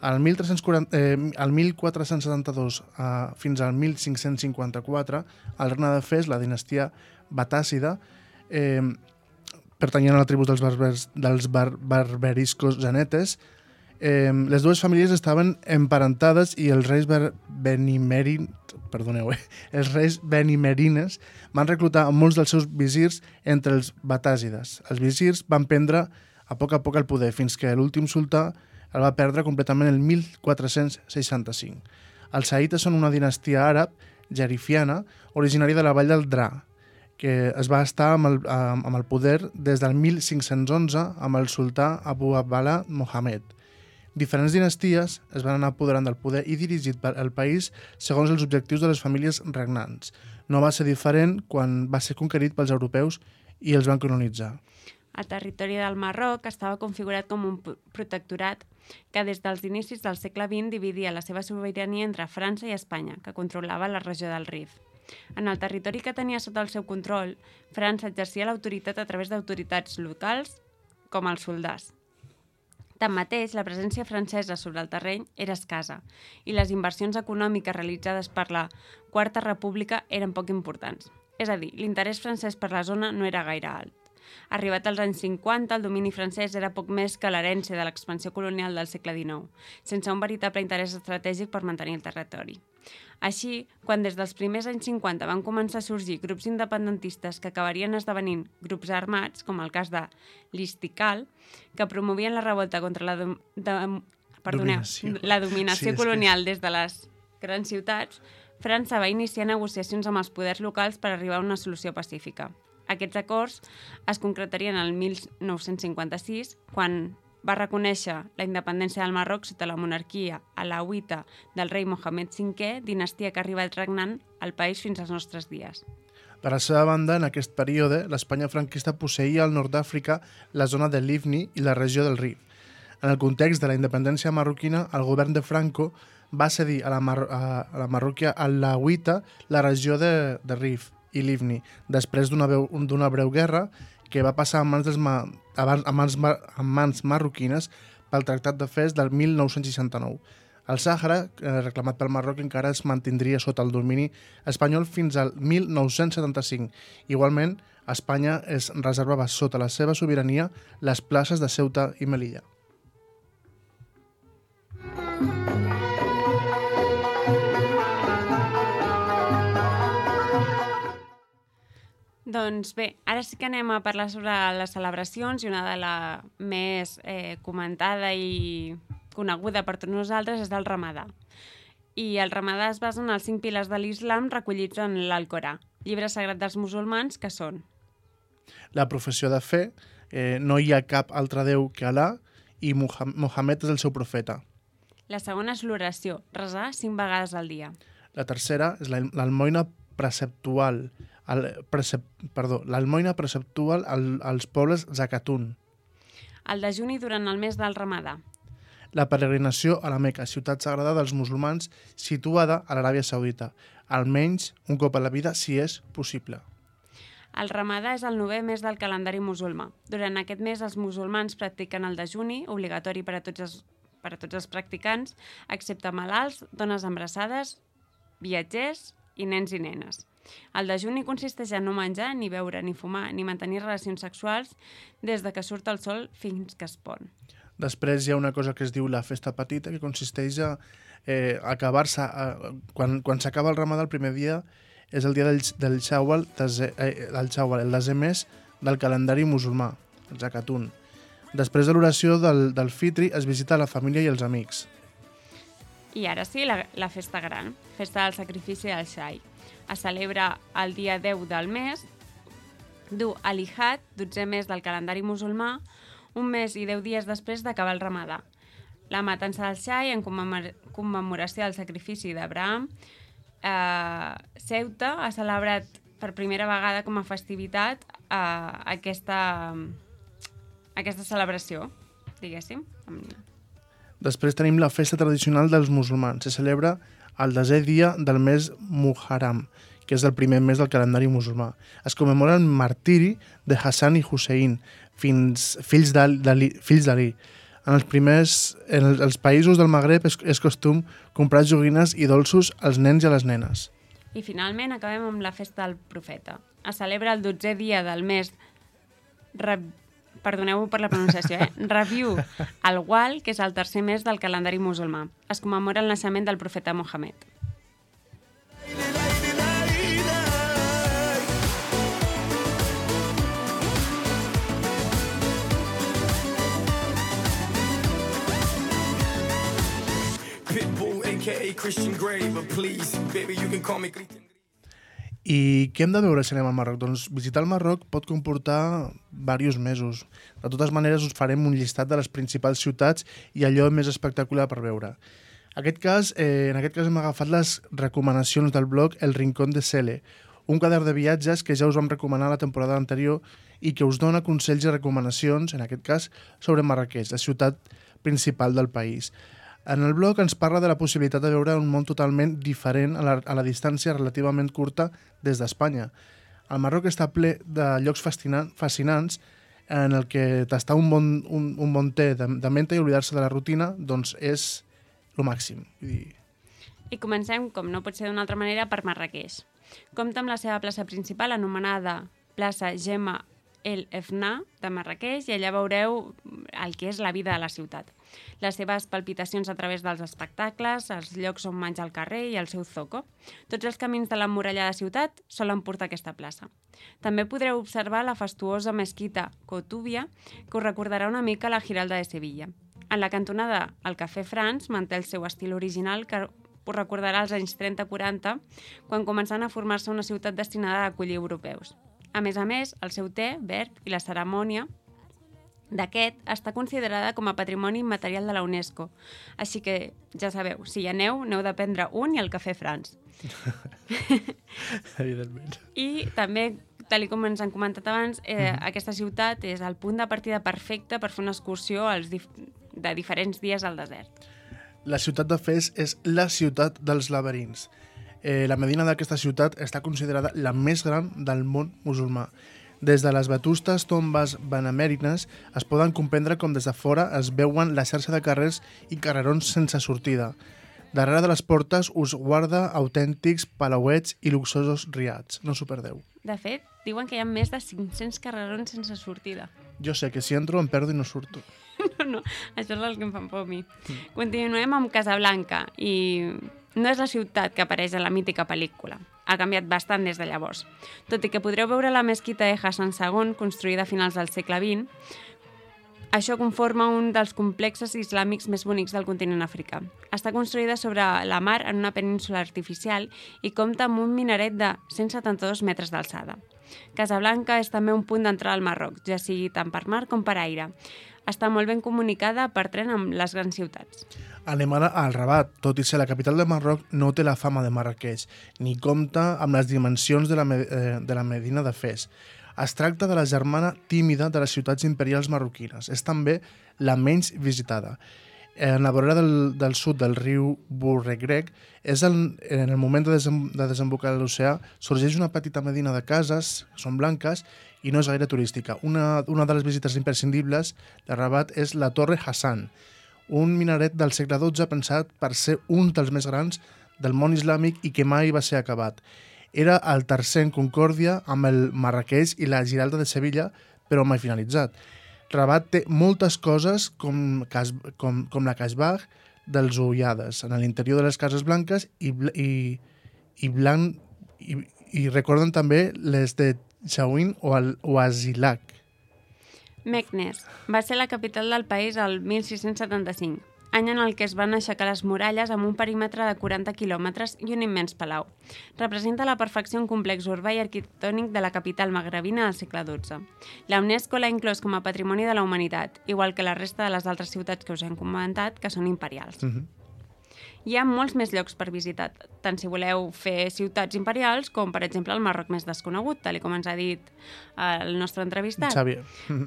Speaker 2: El, mil tres-cents quaranta, eh, el mil quatre-cents setanta-dos eh, fins al mil cinc-cents cinquanta-quatre, el regne de Fes, la dinastia batàcida, eh, pertanyent a la tribu dels, barbers, dels bar, barberiscos genetes, eh, les dues famílies estaven emparentades i els reis benimerin, perdoneu, eh, els reis benimerines van reclutar molts dels seus visirs entre els batàsides. Els visirs van prendre a poc a poc el poder fins que l'últim sultà el va perdre completament el mil quatre-cents seixanta-cinc. Els saïtes són una dinastia àrab jerifiana originària de la vall del Dra, que es va estar amb el, amb el poder des del mil cinc-cents onze amb el sultà Abu Abdallah Mohammed. Diferents dinasties es van anar apoderant del poder i dirigit el país segons els objectius de les famílies regnants. No va ser diferent quan va ser conquerit pels europeus i els van colonitzar.
Speaker 3: El territori del Marroc estava configurat com un p- protectorat que des dels inicis del segle vint dividia la seva sobirania entre França i Espanya, que controlava la regió del Rif. En el territori que tenia sota el seu control, França exercia l'autoritat a través d'autoritats locals com els soldats. Tanmateix, la presència francesa sobre el terreny era escassa i les inversions econòmiques realitzades per la Quarta República eren poc importants. És a dir, l'interès francès per la zona no era gaire alt. Arribat als anys cinquanta, el domini francès era poc més que l'herència de l'expansió colonial del segle dinou, sense un veritable interès estratègic per mantenir el territori. Així, quan des dels primers anys cinquanta van començar a sorgir grups independentistes que acabarien esdevenint grups armats, com el cas de l'Istiqlal, que promovien la revolta contra la, dom de, perdoneu,
Speaker 2: Dominació.
Speaker 3: la dominació
Speaker 2: Sí, és que-
Speaker 3: colonial des de les grans ciutats, França va iniciar negociacions amb els poders locals per arribar a una solució pacífica. Aquests acords es concretarien el mil nou-cents cinquanta-sis, quan va reconèixer la independència del Marroc sota la monarquia alauita del rei Mohamed cinquè, dinastia que ha arribat regnant al país fins als nostres dies.
Speaker 2: Per la seva banda, en aquest període, l'Espanya franquista posseïa al nord d'Àfrica la zona de Livni i la regió del Rif. En el context de la independència marroquina, el govern de Franco va cedir a la, Mar a, a la Marròquia alauita la regió de, de Rif i Livni, després d'una d'una breu guerra que va passar a mans, dels ma a mans, mar a mans marroquines pel Tractat de Fes del mil nou-cents seixanta-nou. El Sàhara, eh, reclamat pel Marroc, encara es mantindria sota el domini espanyol fins al mil nou-cents setanta-cinc. Igualment, Espanya es reservava sota la seva sobirania les places de Ceuta i Melilla.
Speaker 3: Doncs bé, ara sí que anem a parlar sobre les celebracions i una de la més eh, comentada i coneguda per tots nosaltres és el Ramadà. I el Ramadà es basa en els cinc pilars de l'Islam recollits en l'Alcorà, llibre sagrat dels musulmans, que són
Speaker 2: La professió de fe, eh, no hi ha cap altre Déu que Alà i Mohamed és el seu profeta.
Speaker 3: la segona és l'oració, resar cinc vegades al dia.
Speaker 2: La tercera és la- l'almoina preceptual, el, precep, perdó, l'almoina preceptual al, als pobles Zakatun.
Speaker 3: El dejuni durant el mes del Ramadà.
Speaker 2: La peregrinació a la Meca, ciutat sagrada dels musulmans situada a l'Aràbia Saudita, almenys un cop a la vida si és possible.
Speaker 3: El Ramadà és el novè mes del calendari musulmà. Durant aquest mes els musulmans practiquen el dejuni, obligatori per a tots els, per a tots els practicants, excepte malalts, dones embarassades, viatgers i nens i nenes. El dejuni consisteix en no menjar, ni beure, ni fumar, ni mantenir relacions sexuals des de que surt el sol fins que es pon.
Speaker 2: Després hi ha una cosa que es diu la festa petita, que consisteix a eh, acabar-se... A, quan quan s'acaba el Ramadà, el primer dia és el dia del, del Shawwal, desè, eh, el Shawwal, el desè mes del calendari musulmà, el Zakatun. Després de l'oració del, del Fitri es visita la família i els amics.
Speaker 3: I ara sí, la, la festa gran, festa del sacrifici del xai. Es celebra el dia deu del mes, du Al-Hijjat, dotzè mes del calendari musulmà, un mes i deu dies després d'acabar el Ramadà. La matança del xai en commemor commemoració del sacrifici d'Abraham. Eh, Ceuta ha celebrat per primera vegada com a festivitat eh, aquesta, aquesta celebració, diguéssim.
Speaker 2: Després tenim la festa tradicional dels musulmans. Se celebra el desè dia del mes Muharram, que és el primer mes del calendari musulmà. Es commemora el martiri de Hassan i Hussein, fins, fills d'Ali. En els primers, en els països del Magreb és, és costum comprar joguines i dolços als nens i a les nenes.
Speaker 3: I finalment acabem amb la festa del profeta. Es celebra el dotzè dia del mes, Re... perdoneu per la pronunciació, eh? Rabiu al-Awwal, que és el tercer mes del calendari musulmà. Es commemora el naixement del profeta Mohamed.
Speaker 6: Pitbull, A K A Christian Grey, but please, baby, you can call me Christian.
Speaker 2: I què hem de veure si anem al Marroc? Doncs visitar el Marroc pot comportar diversos mesos. De totes maneres, us farem un llistat de les principals ciutats i allò més espectacular per veure. Aquest cas, eh, en aquest cas hem agafat les recomanacions del blog El Rincón de Sele, un quadern de viatges que ja us vam recomanar la temporada anterior i que us dona consells i recomanacions, en aquest cas, sobre Marràqueix, la ciutat principal del país. En el blog ens parla de la possibilitat de veure un món totalment diferent a la, a la distància relativament curta des d'Espanya. El Marroc està ple de llocs fascinants en el que tastar un bon, un, un bon té de, de menta i oblidar-se de la rutina doncs és el màxim. Vull dir...
Speaker 3: I comencem, com no pot ser d'una altra manera, per Marràqueix. Compta amb la seva plaça principal, anomenada plaça Gemma El Efna de Marràqueix, i allà veureu el que és la vida de la ciutat. Les seves palpitacions a través dels espectacles, els llocs on menja al carrer i el seu zoco. Tots els camins de l'emmurallada ciutat solen portar a aquesta plaça. També podreu observar la fastuosa mesquita Cotúbia, que us recordarà una mica la Giralda de Sevilla. En la cantonada, el Cafè France manté el seu estil original, que us recordarà als anys trenta quaranta, quan començant a formar-se una ciutat destinada a acollir europeus. A més a més, el seu té verd i la cerimònia d'aquest està considerada com a patrimoni immaterial de la UNESCO. Així que, ja sabeu, si hi aneu, n'heu de prendre un i el Cafè France.
Speaker 2: Evidentment.
Speaker 3: I també, tal com ens han comentat abans, eh, mm-hmm. aquesta ciutat és el punt de partida perfecte per fer una excursió als dif de diferents dies al desert.
Speaker 2: La ciutat de Fes és la ciutat dels laberints. Eh, la medina d'aquesta ciutat està considerada la més gran del món musulmà. Des de les vetustes tombes benemèrines es poden comprendre com des de fora es veuen la xarxa de carrers i carrerons sense sortida. Darrere de les portes us guarda autèntics palauets i luxosos riats. No s'ho perdeu.
Speaker 3: De fet, diuen que hi ha més de cinc-cents carrerons sense sortida.
Speaker 2: Jo sé que si entro em perdo i no surto.
Speaker 3: No, no, això és el que em fa por a mi. Mm. Continuem amb Casablanca i no és la ciutat que apareix a la mítica pel·lícula. Ha canviat bastant des de llavors. Tot i que podreu veure la mesquita de Hassan segon, construïda a finals del segle vint, això conforma un dels complexes islàmics més bonics del continent africà. Està construïda sobre la mar en una península artificial i compta amb un minaret de cent setanta-dos metres d'alçada. Casablanca és també un punt d'entrada al Marroc, ja sigui tant per mar com per aire. Està molt ben comunicada per tren amb les grans ciutats.
Speaker 2: Anem ara al Rabat. Tot i ser la capital del Marroc, no té la fama de Marràqueix, ni compta amb les dimensions de la, eh, de la Medina de Fes. Es tracta de la germana tímida de les ciutats imperials marroquines. És també la menys visitada. En la vorera del, del sud del riu Bourregreg, és el, en el moment de, desem, de desembocar a l'oceà, sorgeix una petita medina de cases, que són blanques, i no és gaire turística. Una, una de les visites imprescindibles de Rabat és la Torre Hassan, un minaret del segle dotze pensat per ser un dels més grans del món islàmic i que mai va ser acabat. Era el tercer en concòrdia amb el Marràqueix i la Giralda de Sevilla, però mai finalitzat. Rabat té moltes coses com, com, com la Casbah dels Ullades, en l'interior de les Cases Blanques i, i, i, blanc, i, i recorden també les de Chawin o, el, o Asilac.
Speaker 3: Meknes va ser la capital del país el mil sis-cents setanta-cinc, any en el que es van aixecar les muralles amb un perímetre de quaranta quilòmetres i un immens palau. Representa la perfecció un complex urbà i arquitectònic de la capital magrebina del segle dotze. La UNESCO l'ha inclòs com a patrimoni de la humanitat, igual que la resta de les altres ciutats que us hem comentat, que són imperials. Mm-hmm. Hi ha molts més llocs per visitar, tant si voleu fer ciutats imperials com, per exemple, el Marroc més desconegut, tal com ens ha dit el nostre entrevistat.
Speaker 2: Xavier.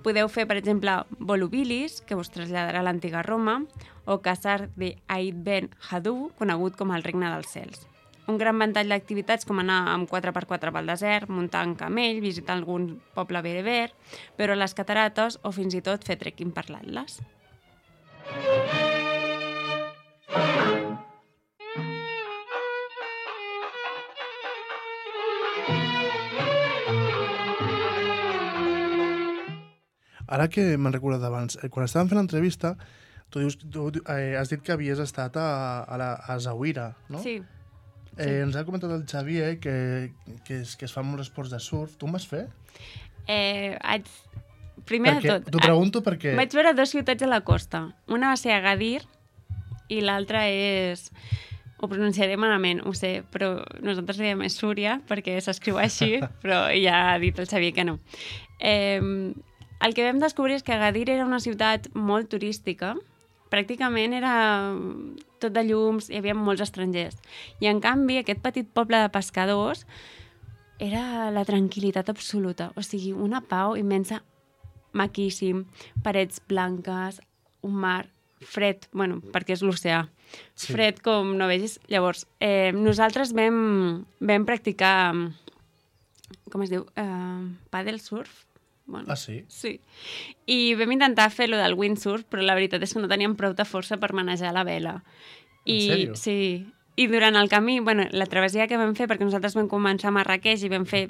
Speaker 3: Podeu fer, per exemple, Volubilis, que us traslladarà a l'antiga Roma, o Casar de Aïd Ben Hadou, conegut com el Regne dels Cels. Un gran ventall d'activitats com anar amb quatre per quatre pel desert, muntar en camell, visitar algun poble bereber, veure les catarates o fins i tot fer trekking per l'Atles.
Speaker 2: Ara que me'n recordat abans, quan estàvem fent l'entrevista, tu, dius, tu eh, has dit que havies estat a, a, la, a Zaouira, no?
Speaker 3: Sí.
Speaker 2: Eh, sí. Ens ha comentat el Xavier que, que, es, que es fan molts esports de surf. Tu em vas fer?
Speaker 3: Eh, haig... Primer
Speaker 2: perquè,
Speaker 3: de tot...
Speaker 2: T'ho pregunto perquè...
Speaker 3: Vaig veure dues ciutats a la costa. Una va ser Agadir i l'altra és... Ho pronunciaré malament, ho sé, però nosaltres diem és Súria perquè s'escriu així, però ja ha dit el Xavier que no. Eh... El que vam descobrir és que Agadir era una ciutat molt turística, pràcticament era tot de llums, hi havia molts estrangers. I en canvi, aquest petit poble de pescadors era la tranquil·litat absoluta. O sigui, una pau immensa, maquíssim, parets blanques, un mar fred, bueno, perquè és l'oceà, sí. Fred com no vegis. Llavors, eh, nosaltres vam, vam practicar, com es diu, eh, paddle surf. Bueno,
Speaker 2: ah, sí?
Speaker 3: Sí. I vam intentar fer lo del windsurf, però la veritat és que no teníem prou de força per manejar la vela.
Speaker 2: I, en sèrio?
Speaker 3: Sí. I durant el camí, bueno, la travessia que vam fer, perquè nosaltres vam començar a Marràqueix i vam fer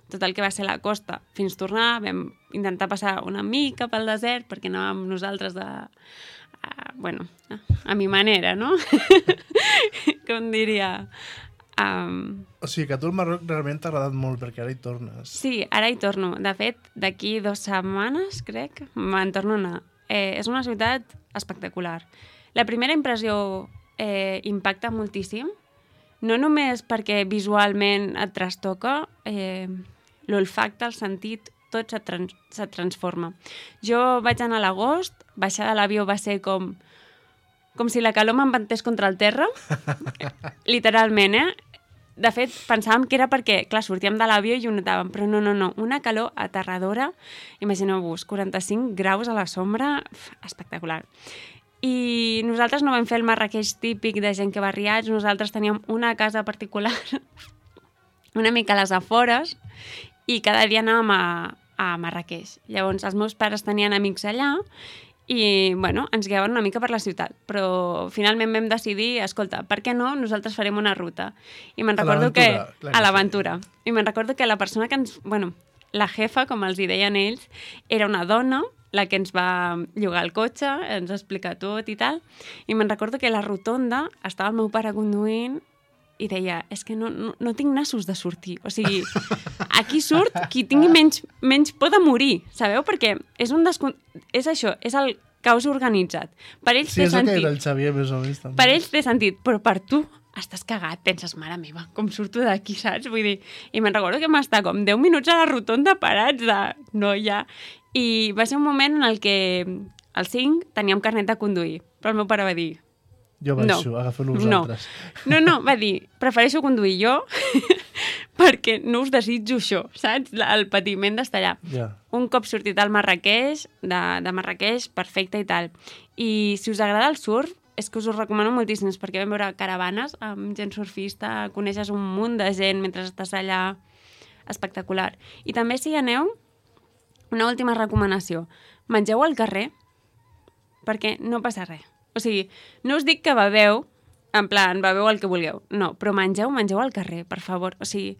Speaker 3: tot el que va ser la costa fins tornar, vam intentar passar una mica pel desert, perquè anàvem nosaltres de... Uh, bueno, uh, a mi manera, no? Com diria... Um...
Speaker 2: O sigui que a tu el Marroc realment t'ha agradat molt, perquè ara hi tornes.
Speaker 3: Sí, ara hi torno. De fet, d'aquí dues setmanes, crec, me'n torno a anar. Eh, és una ciutat espectacular. La primera impressió eh, impacta moltíssim, no només perquè visualment et trastoca, eh, l'olfacte, el sentit, tot se, trans se transforma. Jo vaig anar a l'agost, baixar de l'avió va ser com, com si la calor m'empantés contra el terra, literalment, eh? De fet, pensàvem que era perquè, clar, sortíem de l'avió i ho notàvem, però no, no, no, una calor aterradora, imagineu-vos, quaranta-cinc graus a la sombra, espectacular. I nosaltres no vam fer el Marràqueix típic de gent que va a Riads, nosaltres teníem una casa particular, una mica a les afores, i cada dia anàvem a, a Marràqueix. Llavors, els meus pares tenien amics allà i, bueno, ens guiaven una mica per la ciutat. Però finalment vam decidir, escolta, per què no? Nosaltres farem una ruta. I me'n recordo que... A l'aventura. I me'n recordo que la persona que ens... Bueno, la jefa, com els hi deien ells, era una dona, la que ens va llogar el cotxe, ens va explicar tot i tal. I me'n recordo que a la rotonda estava el meu pare conduint i deia, és que no, no, no tinc nassos de sortir. O sigui, aquí surt qui tingui menys, menys por de morir, sabeu? Perquè és un descon... És això, és el caos organitzat. Per ells
Speaker 2: sí,
Speaker 3: té sentit.
Speaker 2: Sí, és el que era el Xavier, més o menys, també.
Speaker 3: Per ells té sentit, però per tu estàs cagat, penses, mare meva, com surto d'aquí, saps? Vull dir, i me'n recordo que vam estar com deu minuts a la rotonda parats de noia. I va ser un moment en el que als cinc teníem carnet de conduir, però el meu pare va dir,
Speaker 2: jo baixo, no, agafeu-lo vosaltres.
Speaker 3: No, no, va dir, prefereixo conduir jo perquè no us desitjo això, saps? El patiment d'estar allà.
Speaker 2: Yeah.
Speaker 3: Un cop sortit al Marràqueix, de, de Marràqueix, perfecte i tal. I si us agrada el surf, és que us ho recomano moltíssim, perquè vam veure caravanes amb gent surfista, coneixes un munt de gent mentre estàs allà, espectacular. I també si hi aneu, una última recomanació, mengeu al carrer, perquè no passa res. O sigui, no us dic que beveu, en plan, beveu el que vulgueu. No, però mengeu, mengeu al carrer, per favor. O sigui,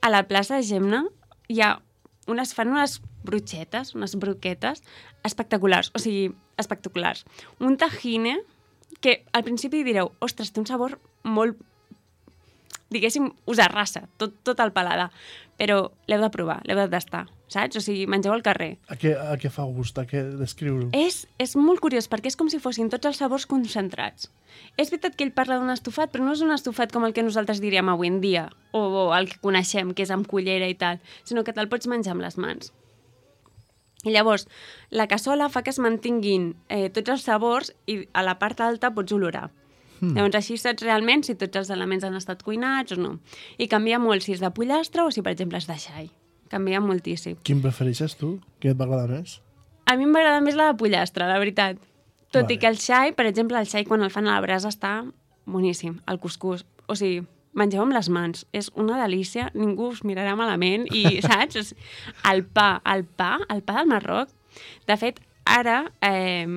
Speaker 3: a la plaça de Gemna hi ha unes, fan unes brutxetes, unes broquetes espectaculars. O sigui, espectaculars. Un tajine que al principi direu, ostres, té un sabor molt, diguéssim, us arrasa, tot, tot el paladar. Però l'heu de provar, l'heu de tastar, saps? O sigui, mengeu al carrer.
Speaker 2: A què, a què fa gust? A què descriure-ho?
Speaker 3: És, és molt curiós, perquè és com si fossin tots els sabors concentrats. És veritat que ell parla d'un estofat, però no és un estofat com el que nosaltres diríem avui en dia, o, o el que coneixem, que és amb cullera i tal, sinó que te'l pots menjar amb les mans. I llavors, la cassola fa que es mantinguin eh, tots els sabors i a la part alta pots olorar. Mm. Llavors així saps realment si tots els elements han estat cuinats o no. I canvia molt si és de pollastre o si, per exemple, és de xai. Canvia moltíssim.
Speaker 2: Quin prefereixes tu? Què et va agradar més?
Speaker 3: A mi m'agrada més la de pollastre, la veritat. Tot
Speaker 2: vale.
Speaker 3: I que el xai, per exemple, el xai quan el fan a la brasa està boníssim, el cuscús. O sigui, mengeu amb les mans. És una delícia, ningú us mirarà malament i, saps? El pa, el pa, el pa del Marroc. De fet, ara... Eh,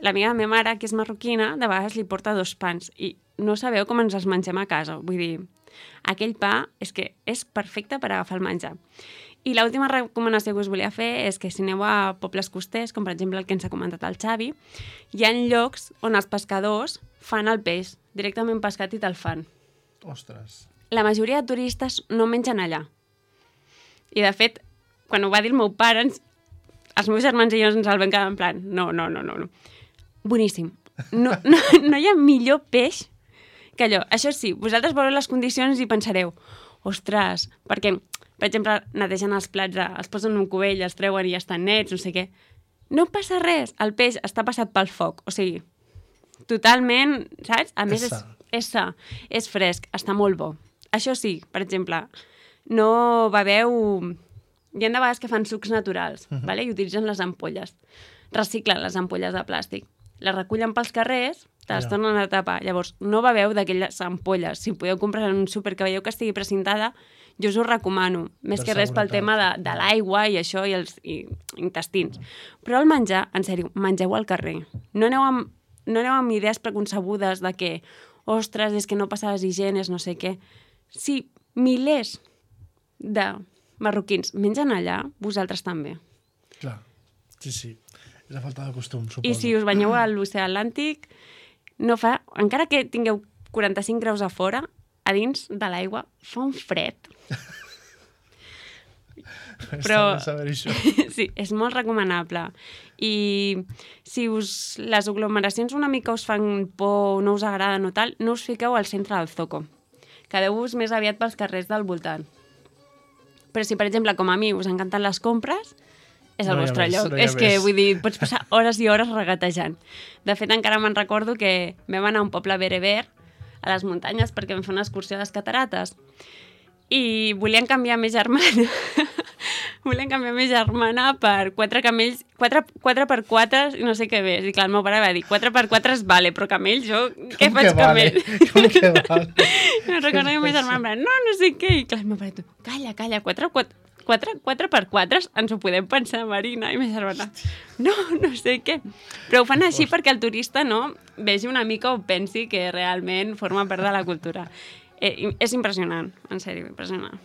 Speaker 3: l'amiga de la meva mare, que és marroquina, de vegades li porta dos pans i no sabeu com ens els mengem a casa. Vull dir, aquell pa és que és perfecte per agafar el menjar. I l'última recomanació que us volia fer és que si aneu a pobles costers, com per exemple el que ens ha comentat el Xavi, hi ha llocs on els pescadors fan el peix, directament pescat i te'l fan.
Speaker 2: Ostres.
Speaker 3: La majoria de turistes no mengen allà. I de fet, quan ho va dir el meu pare, ens, els meus germans i jo ens el vam quedar en plan, no, no, no, no, no. Boníssim. No, no, no hi ha millor peix que allò. Això sí, vosaltres veureu les condicions i pensareu, ostres, perquè, per exemple, netegen els plats, els posen en un cubell, els treuen i ja estan nets, no sé què. No passa res, el peix està passat pel foc, o sigui, totalment, saps? A més, és, és sa, és fresc, està molt bo. Això sí, per exemple, no beveu... Hi ha de vegades que fan sucs naturals, uh -huh. vale? I utilitzen les ampolles. Reciclen les ampolles de plàstic. Les recullen pels carrers, te les
Speaker 2: Ja.
Speaker 3: tornen a tapar. Llavors, no beveu d'aquelles ampolles. Si podeu comprar en un súper que veieu que estigui precintada, jo us ho recomano. Més
Speaker 2: Per
Speaker 3: que res pel
Speaker 2: seguretat.
Speaker 3: tema de, de l'aigua i això i els i, intestins. Però el menjar, en sèrio, mengeu al carrer. No aneu amb, no aneu amb idees preconcebudes de que, ostres, és que no passa les higienes, no sé què. Si milers de marroquins mengen allà, vosaltres també.
Speaker 2: Clar, sí, sí. És la falta de costum, suposo.
Speaker 3: I si us banyeu a l'oceà Atlàntic, no fa... Encara que tingueu quaranta-cinc graus a fora, a dins de l'aigua fa un fred. Però...
Speaker 2: saber això.
Speaker 3: Sí, és molt recomanable. I si us, les aglomeracions una mica us fan por, no us agraden o tal, no us fiqueu al centre del Zoco. Quedeu-vos més aviat pels carrers del voltant. Però si, per exemple, com a mi, us encanten les compres, és el
Speaker 2: No hi ha
Speaker 3: vostre
Speaker 2: més,
Speaker 3: lloc.
Speaker 2: no hi ha
Speaker 3: És que,
Speaker 2: més.
Speaker 3: vull dir, pots passar hores i hores regatejant. De fet, encara me'n recordo que vam anar a un poble bereber, a les muntanyes, perquè vam fer una excursió a les catarates. I volien canviar més germana. volien canviar més germana per quatre camells, quatre, quatre per quatre, i no sé què més. I clar, el meu pare va dir, quatre per quatre es vale, però camell, jo què
Speaker 2: Com
Speaker 3: faig
Speaker 2: que vale?
Speaker 3: camell?
Speaker 2: Com que vale?
Speaker 3: No recordo que ma germana em va dir, no, no sé què. I clar, el meu pare, tu, calla, calla, quatre, quatre, quatre, quatre per quatre ens ho podem pensar, Marina. I ma germana, no, no sé què. Però ho fan així perquè el turista no vegi una mica o pensi que realment forma part de la cultura. Eh, és impressionant, en sèrio, impressionant.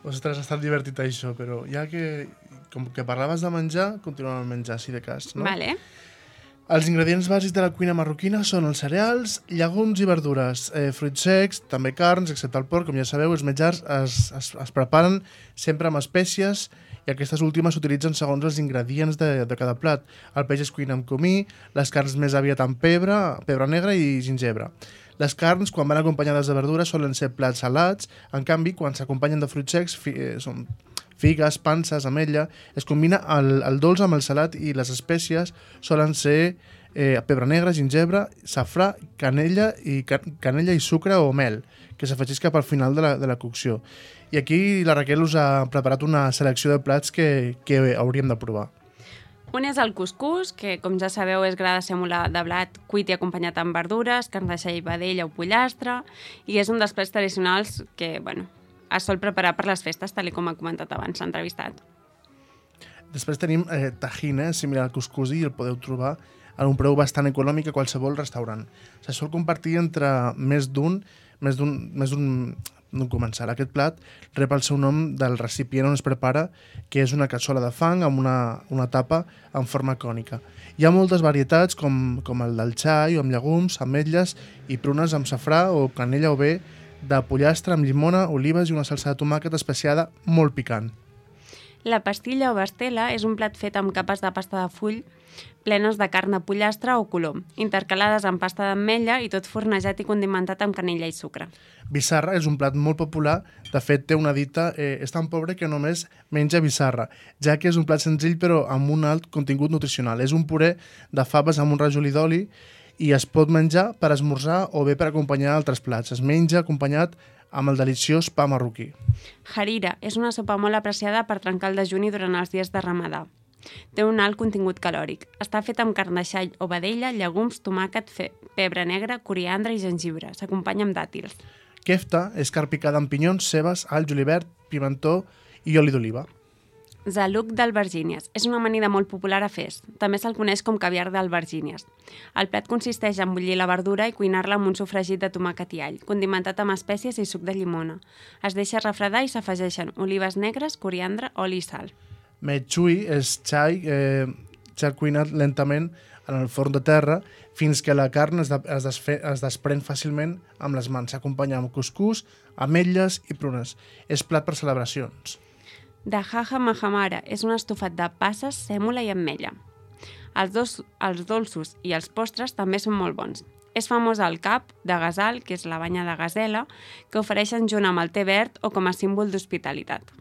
Speaker 2: Ostres, ha estat divertit això, però ja que, com que parlaves de menjar, continuem amb menjar, si de cas, no?
Speaker 3: Vale.
Speaker 2: Els ingredients bàsics de la cuina marroquina són els cereals, llegums i verdures, eh, fruits secs, també carns, excepte el porc. Com ja sabeu, els menjars es, es, es preparen sempre amb espècies i aquestes últimes s'utilitzen segons els ingredients de, de cada plat. El peix es cuina amb comí, les carns més aviat amb pebre, pebre negre i gingebre. Les carns, quan van acompanyades de verdures, solen ser plats salats. En canvi, quan s'acompanyen de fruits secs, fi, eh, són figues, panses, ametlla, es combina el, el dolç amb el salat i les espècies solen ser eh, pebre negre, gingebre, safrà, canella i, can, canella i sucre o mel, que s'afegeix cap al final de la, de la cocció. I aquí la Raquel us ha preparat una selecció de plats que, que hauríem de provar.
Speaker 3: Un és el cuscús, que, com ja sabeu, és gra de sèmola de blat cuit i acompanyat amb verdures, carn de xai, vedella o pollastre, i és un dels plats tradicionals que, bueno, es sol preparar per les festes, tal com ha comentat abans l'entrevistat.
Speaker 2: Després tenim eh, tajina, similar al cuscús, i el podeu trobar a un preu bastant econòmic a qualsevol restaurant. Se sol compartir entre més d'un més d'un més d'un d'un comensal. Aquest plat rep el seu nom del recipient on es prepara, que és una cassola de fang amb una, una tapa en forma cònica. Hi ha moltes varietats, com, com el del xai, o amb llegums, ametlles i prunes amb safrà o canella o bé de pollastre amb llimona, olives i una salsa de tomàquet especiada molt picant.
Speaker 3: La pastilla o bastela és un plat fet amb capes de pasta de full plenes de carn de pollastre o colom, intercalades amb pasta d'ametlla i tot fornejat i condimentat amb canella i sucre.
Speaker 2: Bissarra és un plat molt popular, de fet té una dita, eh, és tan pobre que només menja bissarra, ja que és un plat senzill però amb un alt contingut nutricional. És un puré de faves amb un rajolí d'oli i es pot menjar per esmorzar o bé per acompanyar altres plats. Es menja acompanyat amb el deliciós pa marroquí.
Speaker 3: Harira és una sopa molt apreciada per trencar el dejuni durant els dies de Ramadà. Té un alt contingut calòric. Està fet amb carn de xai o vedella, llegums, tomàquet, fe, pebre negre, coriandre i gengibre. S'acompanya amb dàtils.
Speaker 2: Kefta és carn picada amb pinyons, cebes, all, julivert, pimentó i oli d'oliva.
Speaker 3: Zaluc d'albergínies. És una amanida molt popular a Fes. També se'l coneix com caviar d'albergínies. El plat consisteix en bullir la verdura i cuinar-la amb un sofregit de tomàquet i all, condimentat amb espècies i suc de llimona. Es deixa refredar i s'afegeixen olives negres, coriandre, oli i sal.
Speaker 2: Mechui és xai, eh, xai cuinat lentament en el forn de terra fins que la carn es, de, es, desfe, es desprèn fàcilment amb les mans. S'acompanya amb cuscús, ametlles i prunes. És plat per celebracions.
Speaker 3: Dahaja mahamara és un estofat de passes, sèmola i ametlla. Els, dos, els dolços i els postres també són molt bons. És famós el cap de gasal, que és la banya de gasela, que ofereixen junt amb el té verd o com a símbol d'hospitalitat.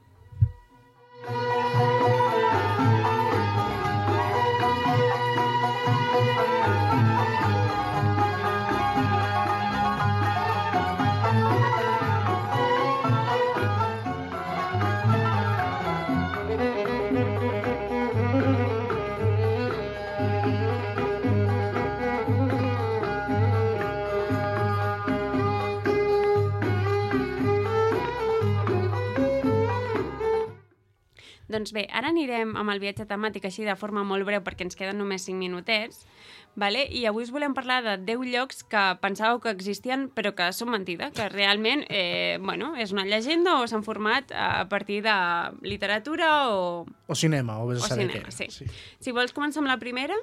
Speaker 3: Doncs bé, ara anirem amb el viatge temàtic així de forma molt breu perquè ens queden només cinc minutets, vale? I avui us volem parlar de deu llocs que pensàveu que existien però que són mentida, que realment eh, bueno, és una llegenda o s'han format a partir de literatura o...
Speaker 2: O cinema, o vés a
Speaker 3: o
Speaker 2: saber
Speaker 3: cinema,
Speaker 2: què.
Speaker 3: sí.
Speaker 2: Sí.
Speaker 3: Si vols començar amb la primera...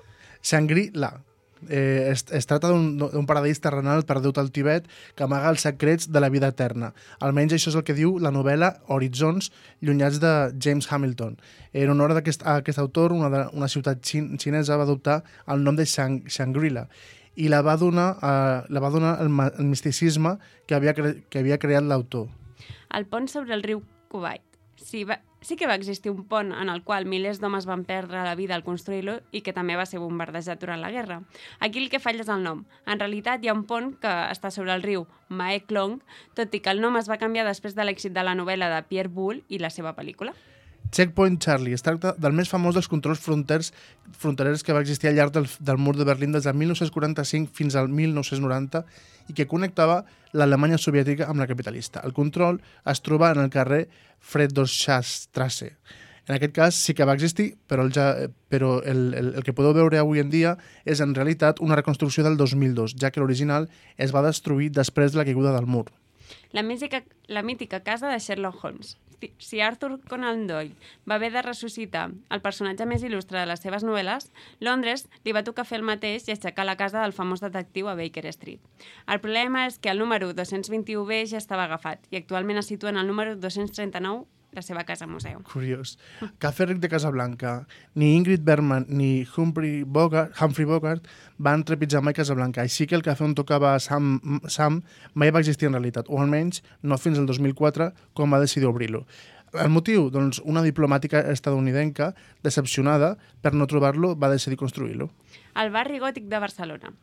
Speaker 2: Shangri-La. Eh, es, es tracta d'un paradís terrenal perdut al Tibet que amaga els secrets de la vida eterna. Almenys això és el que diu la novel·la Horitzons llunyats de James Hamilton. En honor a aquest, a aquest autor, una, de, una ciutat xin, xinesa va adoptar el nom de Shang, Shangri-La i la va donar, eh, la va donar el, el misticisme que havia, cre, que havia creat l'autor.
Speaker 3: El pont sobre el riu Kuwait. Sí, va, sí que va existir un pont en el qual milers d'homes van perdre la vida al construir-lo i que també va ser bombardejat durant la guerra. Aquí el que falla és el nom. En realitat hi ha un pont que està sobre el riu Mae Klong, tot i que el nom es va canviar després de l'èxit de la novel·la de Pierre Boulle i la seva pel·lícula.
Speaker 2: Checkpoint Charlie. Es tracta del més famós dels controls fronters, fronterers que va existir al llarg del, del mur de Berlín des del mil nou-cents quaranta-cinc fins al mil nou-cents noranta i que connectava l'Alemanya soviètica amb la capitalista. El control es troba en el carrer Friedrichstraße. En aquest cas sí que va existir, però, el, ja, però el, el, el que podeu veure avui en dia és en realitat una reconstrucció del dos mil dos, ja que l'original es va destruir després de la caiguda del mur.
Speaker 3: La mítica, la mítica casa de Sherlock Holmes. Si Arthur Conan Doyle va haver de ressuscitar el personatge més il·lustre de les seves novel·les, Londres li va tocar fer el mateix i aixecar la casa del famós detectiu a Baker Street. El problema és que el número dos-cents vint-i-u B ja estava agafat i actualment es situa en el número dos-cents trenta-nou, la seva casa museu.
Speaker 2: Curiós. Cafè Ric de Casablanca. Ni Ingrid Bergman ni Humphrey Bogart, Humphrey Bogart van trepitjar mai Casablanca, així que el cafè on tocava Sam, Sam mai va existir en realitat, o almenys no fins al dos mil quatre, quan va decidir obrir-lo. El motiu? Doncs una diplomàtica estadounidenca, decepcionada per no trobar-lo, va decidir construir-lo.
Speaker 3: El barri gòtic de Barcelona.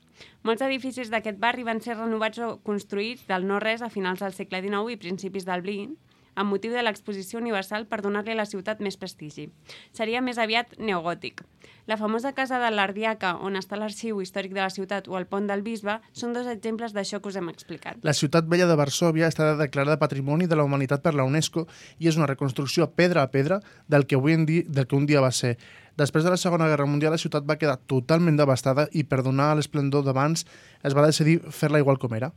Speaker 3: Molts edificis d'aquest barri van ser renovats o construïts del no-res a finals del segle dinou i principis del vint, amb motiu de l'exposició universal per donar-li a la ciutat més prestigi. Seria més aviat neogòtic. La famosa casa de l'Ardiaca, on està l'arxiu històric de la ciutat, o el pont del Bisbe, són dos exemples d'això que us hem explicat.
Speaker 2: La ciutat vella de Varsòvia està declarada Patrimoni de la Humanitat per la UNESCO i és una reconstrucció pedra a pedra del que, avui en dia, del que un dia va ser. Després de la Segona Guerra Mundial, la ciutat va quedar totalment devastada i per donar l'esplendor d'abans es va decidir fer-la igual com era.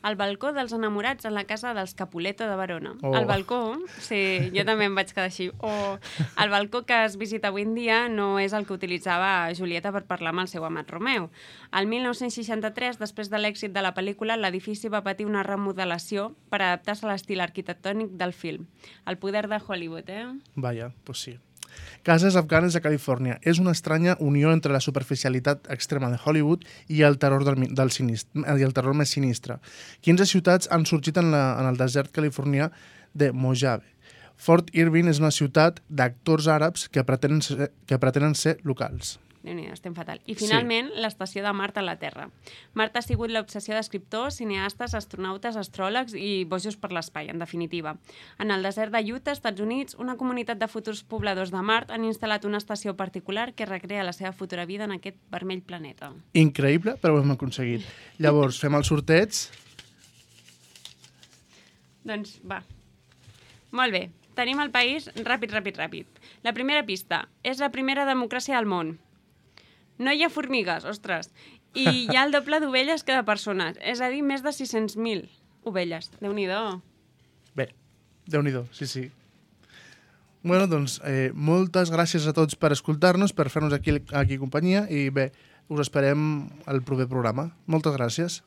Speaker 3: El balcó dels enamorats en la casa dels Capuleto de Verona.
Speaker 2: Oh.
Speaker 3: El balcó, sí, jo també em vaig quedar així. O el balcó que es visita avui en dia no és el que utilitzava Julieta per parlar amb el seu amat Romeu. El mil nou-cents seixanta-tres, després de l'èxit de la pel·lícula, l'edifici va patir una remodelació per adaptar-se a l'estil arquitectònic del film. El poder de Hollywood, eh?
Speaker 2: Vaja, doncs sí. Cases afganes a Califòrnia. És una estranya unió entre la superficialitat extrema de Hollywood i el terror, del, del sinistre, i el terror més sinistre. quinze ciutats han sorgit en, la, en el desert californià de Mojave. Fort Irwin és una ciutat d'actors àrabs que pretenen ser, que pretenen ser locals.
Speaker 3: Déu-n'hi-do, estem fatal. I finalment, sí. L'estació de Mart a la Terra. Mart ha sigut l'obsessió d'escriptors, cineastes, astronautes, astròlegs i bojos per l'espai, en definitiva. En el desert de Utah, Estats Units, una comunitat de futurs pobladors de Mart han instal·lat una estació particular que recrea la seva futura vida en aquest vermell planeta.
Speaker 2: Increïble, però ho hem aconseguit. Llavors, fem el sorteig.
Speaker 3: Doncs va. Molt bé. Tenim el país ràpid, ràpid, ràpid. La primera pista. És la primera democràcia del món. No hi ha formigues, ostres. I hi ha el doble d'ovelles que de persones. És a dir, més de sis-cents mil ovelles. Déu-n'hi-do.
Speaker 2: Bé, Déu-n'hi-do, sí, sí. Bueno, doncs, eh, moltes gràcies a tots per escoltar-nos, per fer-nos aquí, aquí companyia i bé, us esperem al proper programa. Moltes gràcies.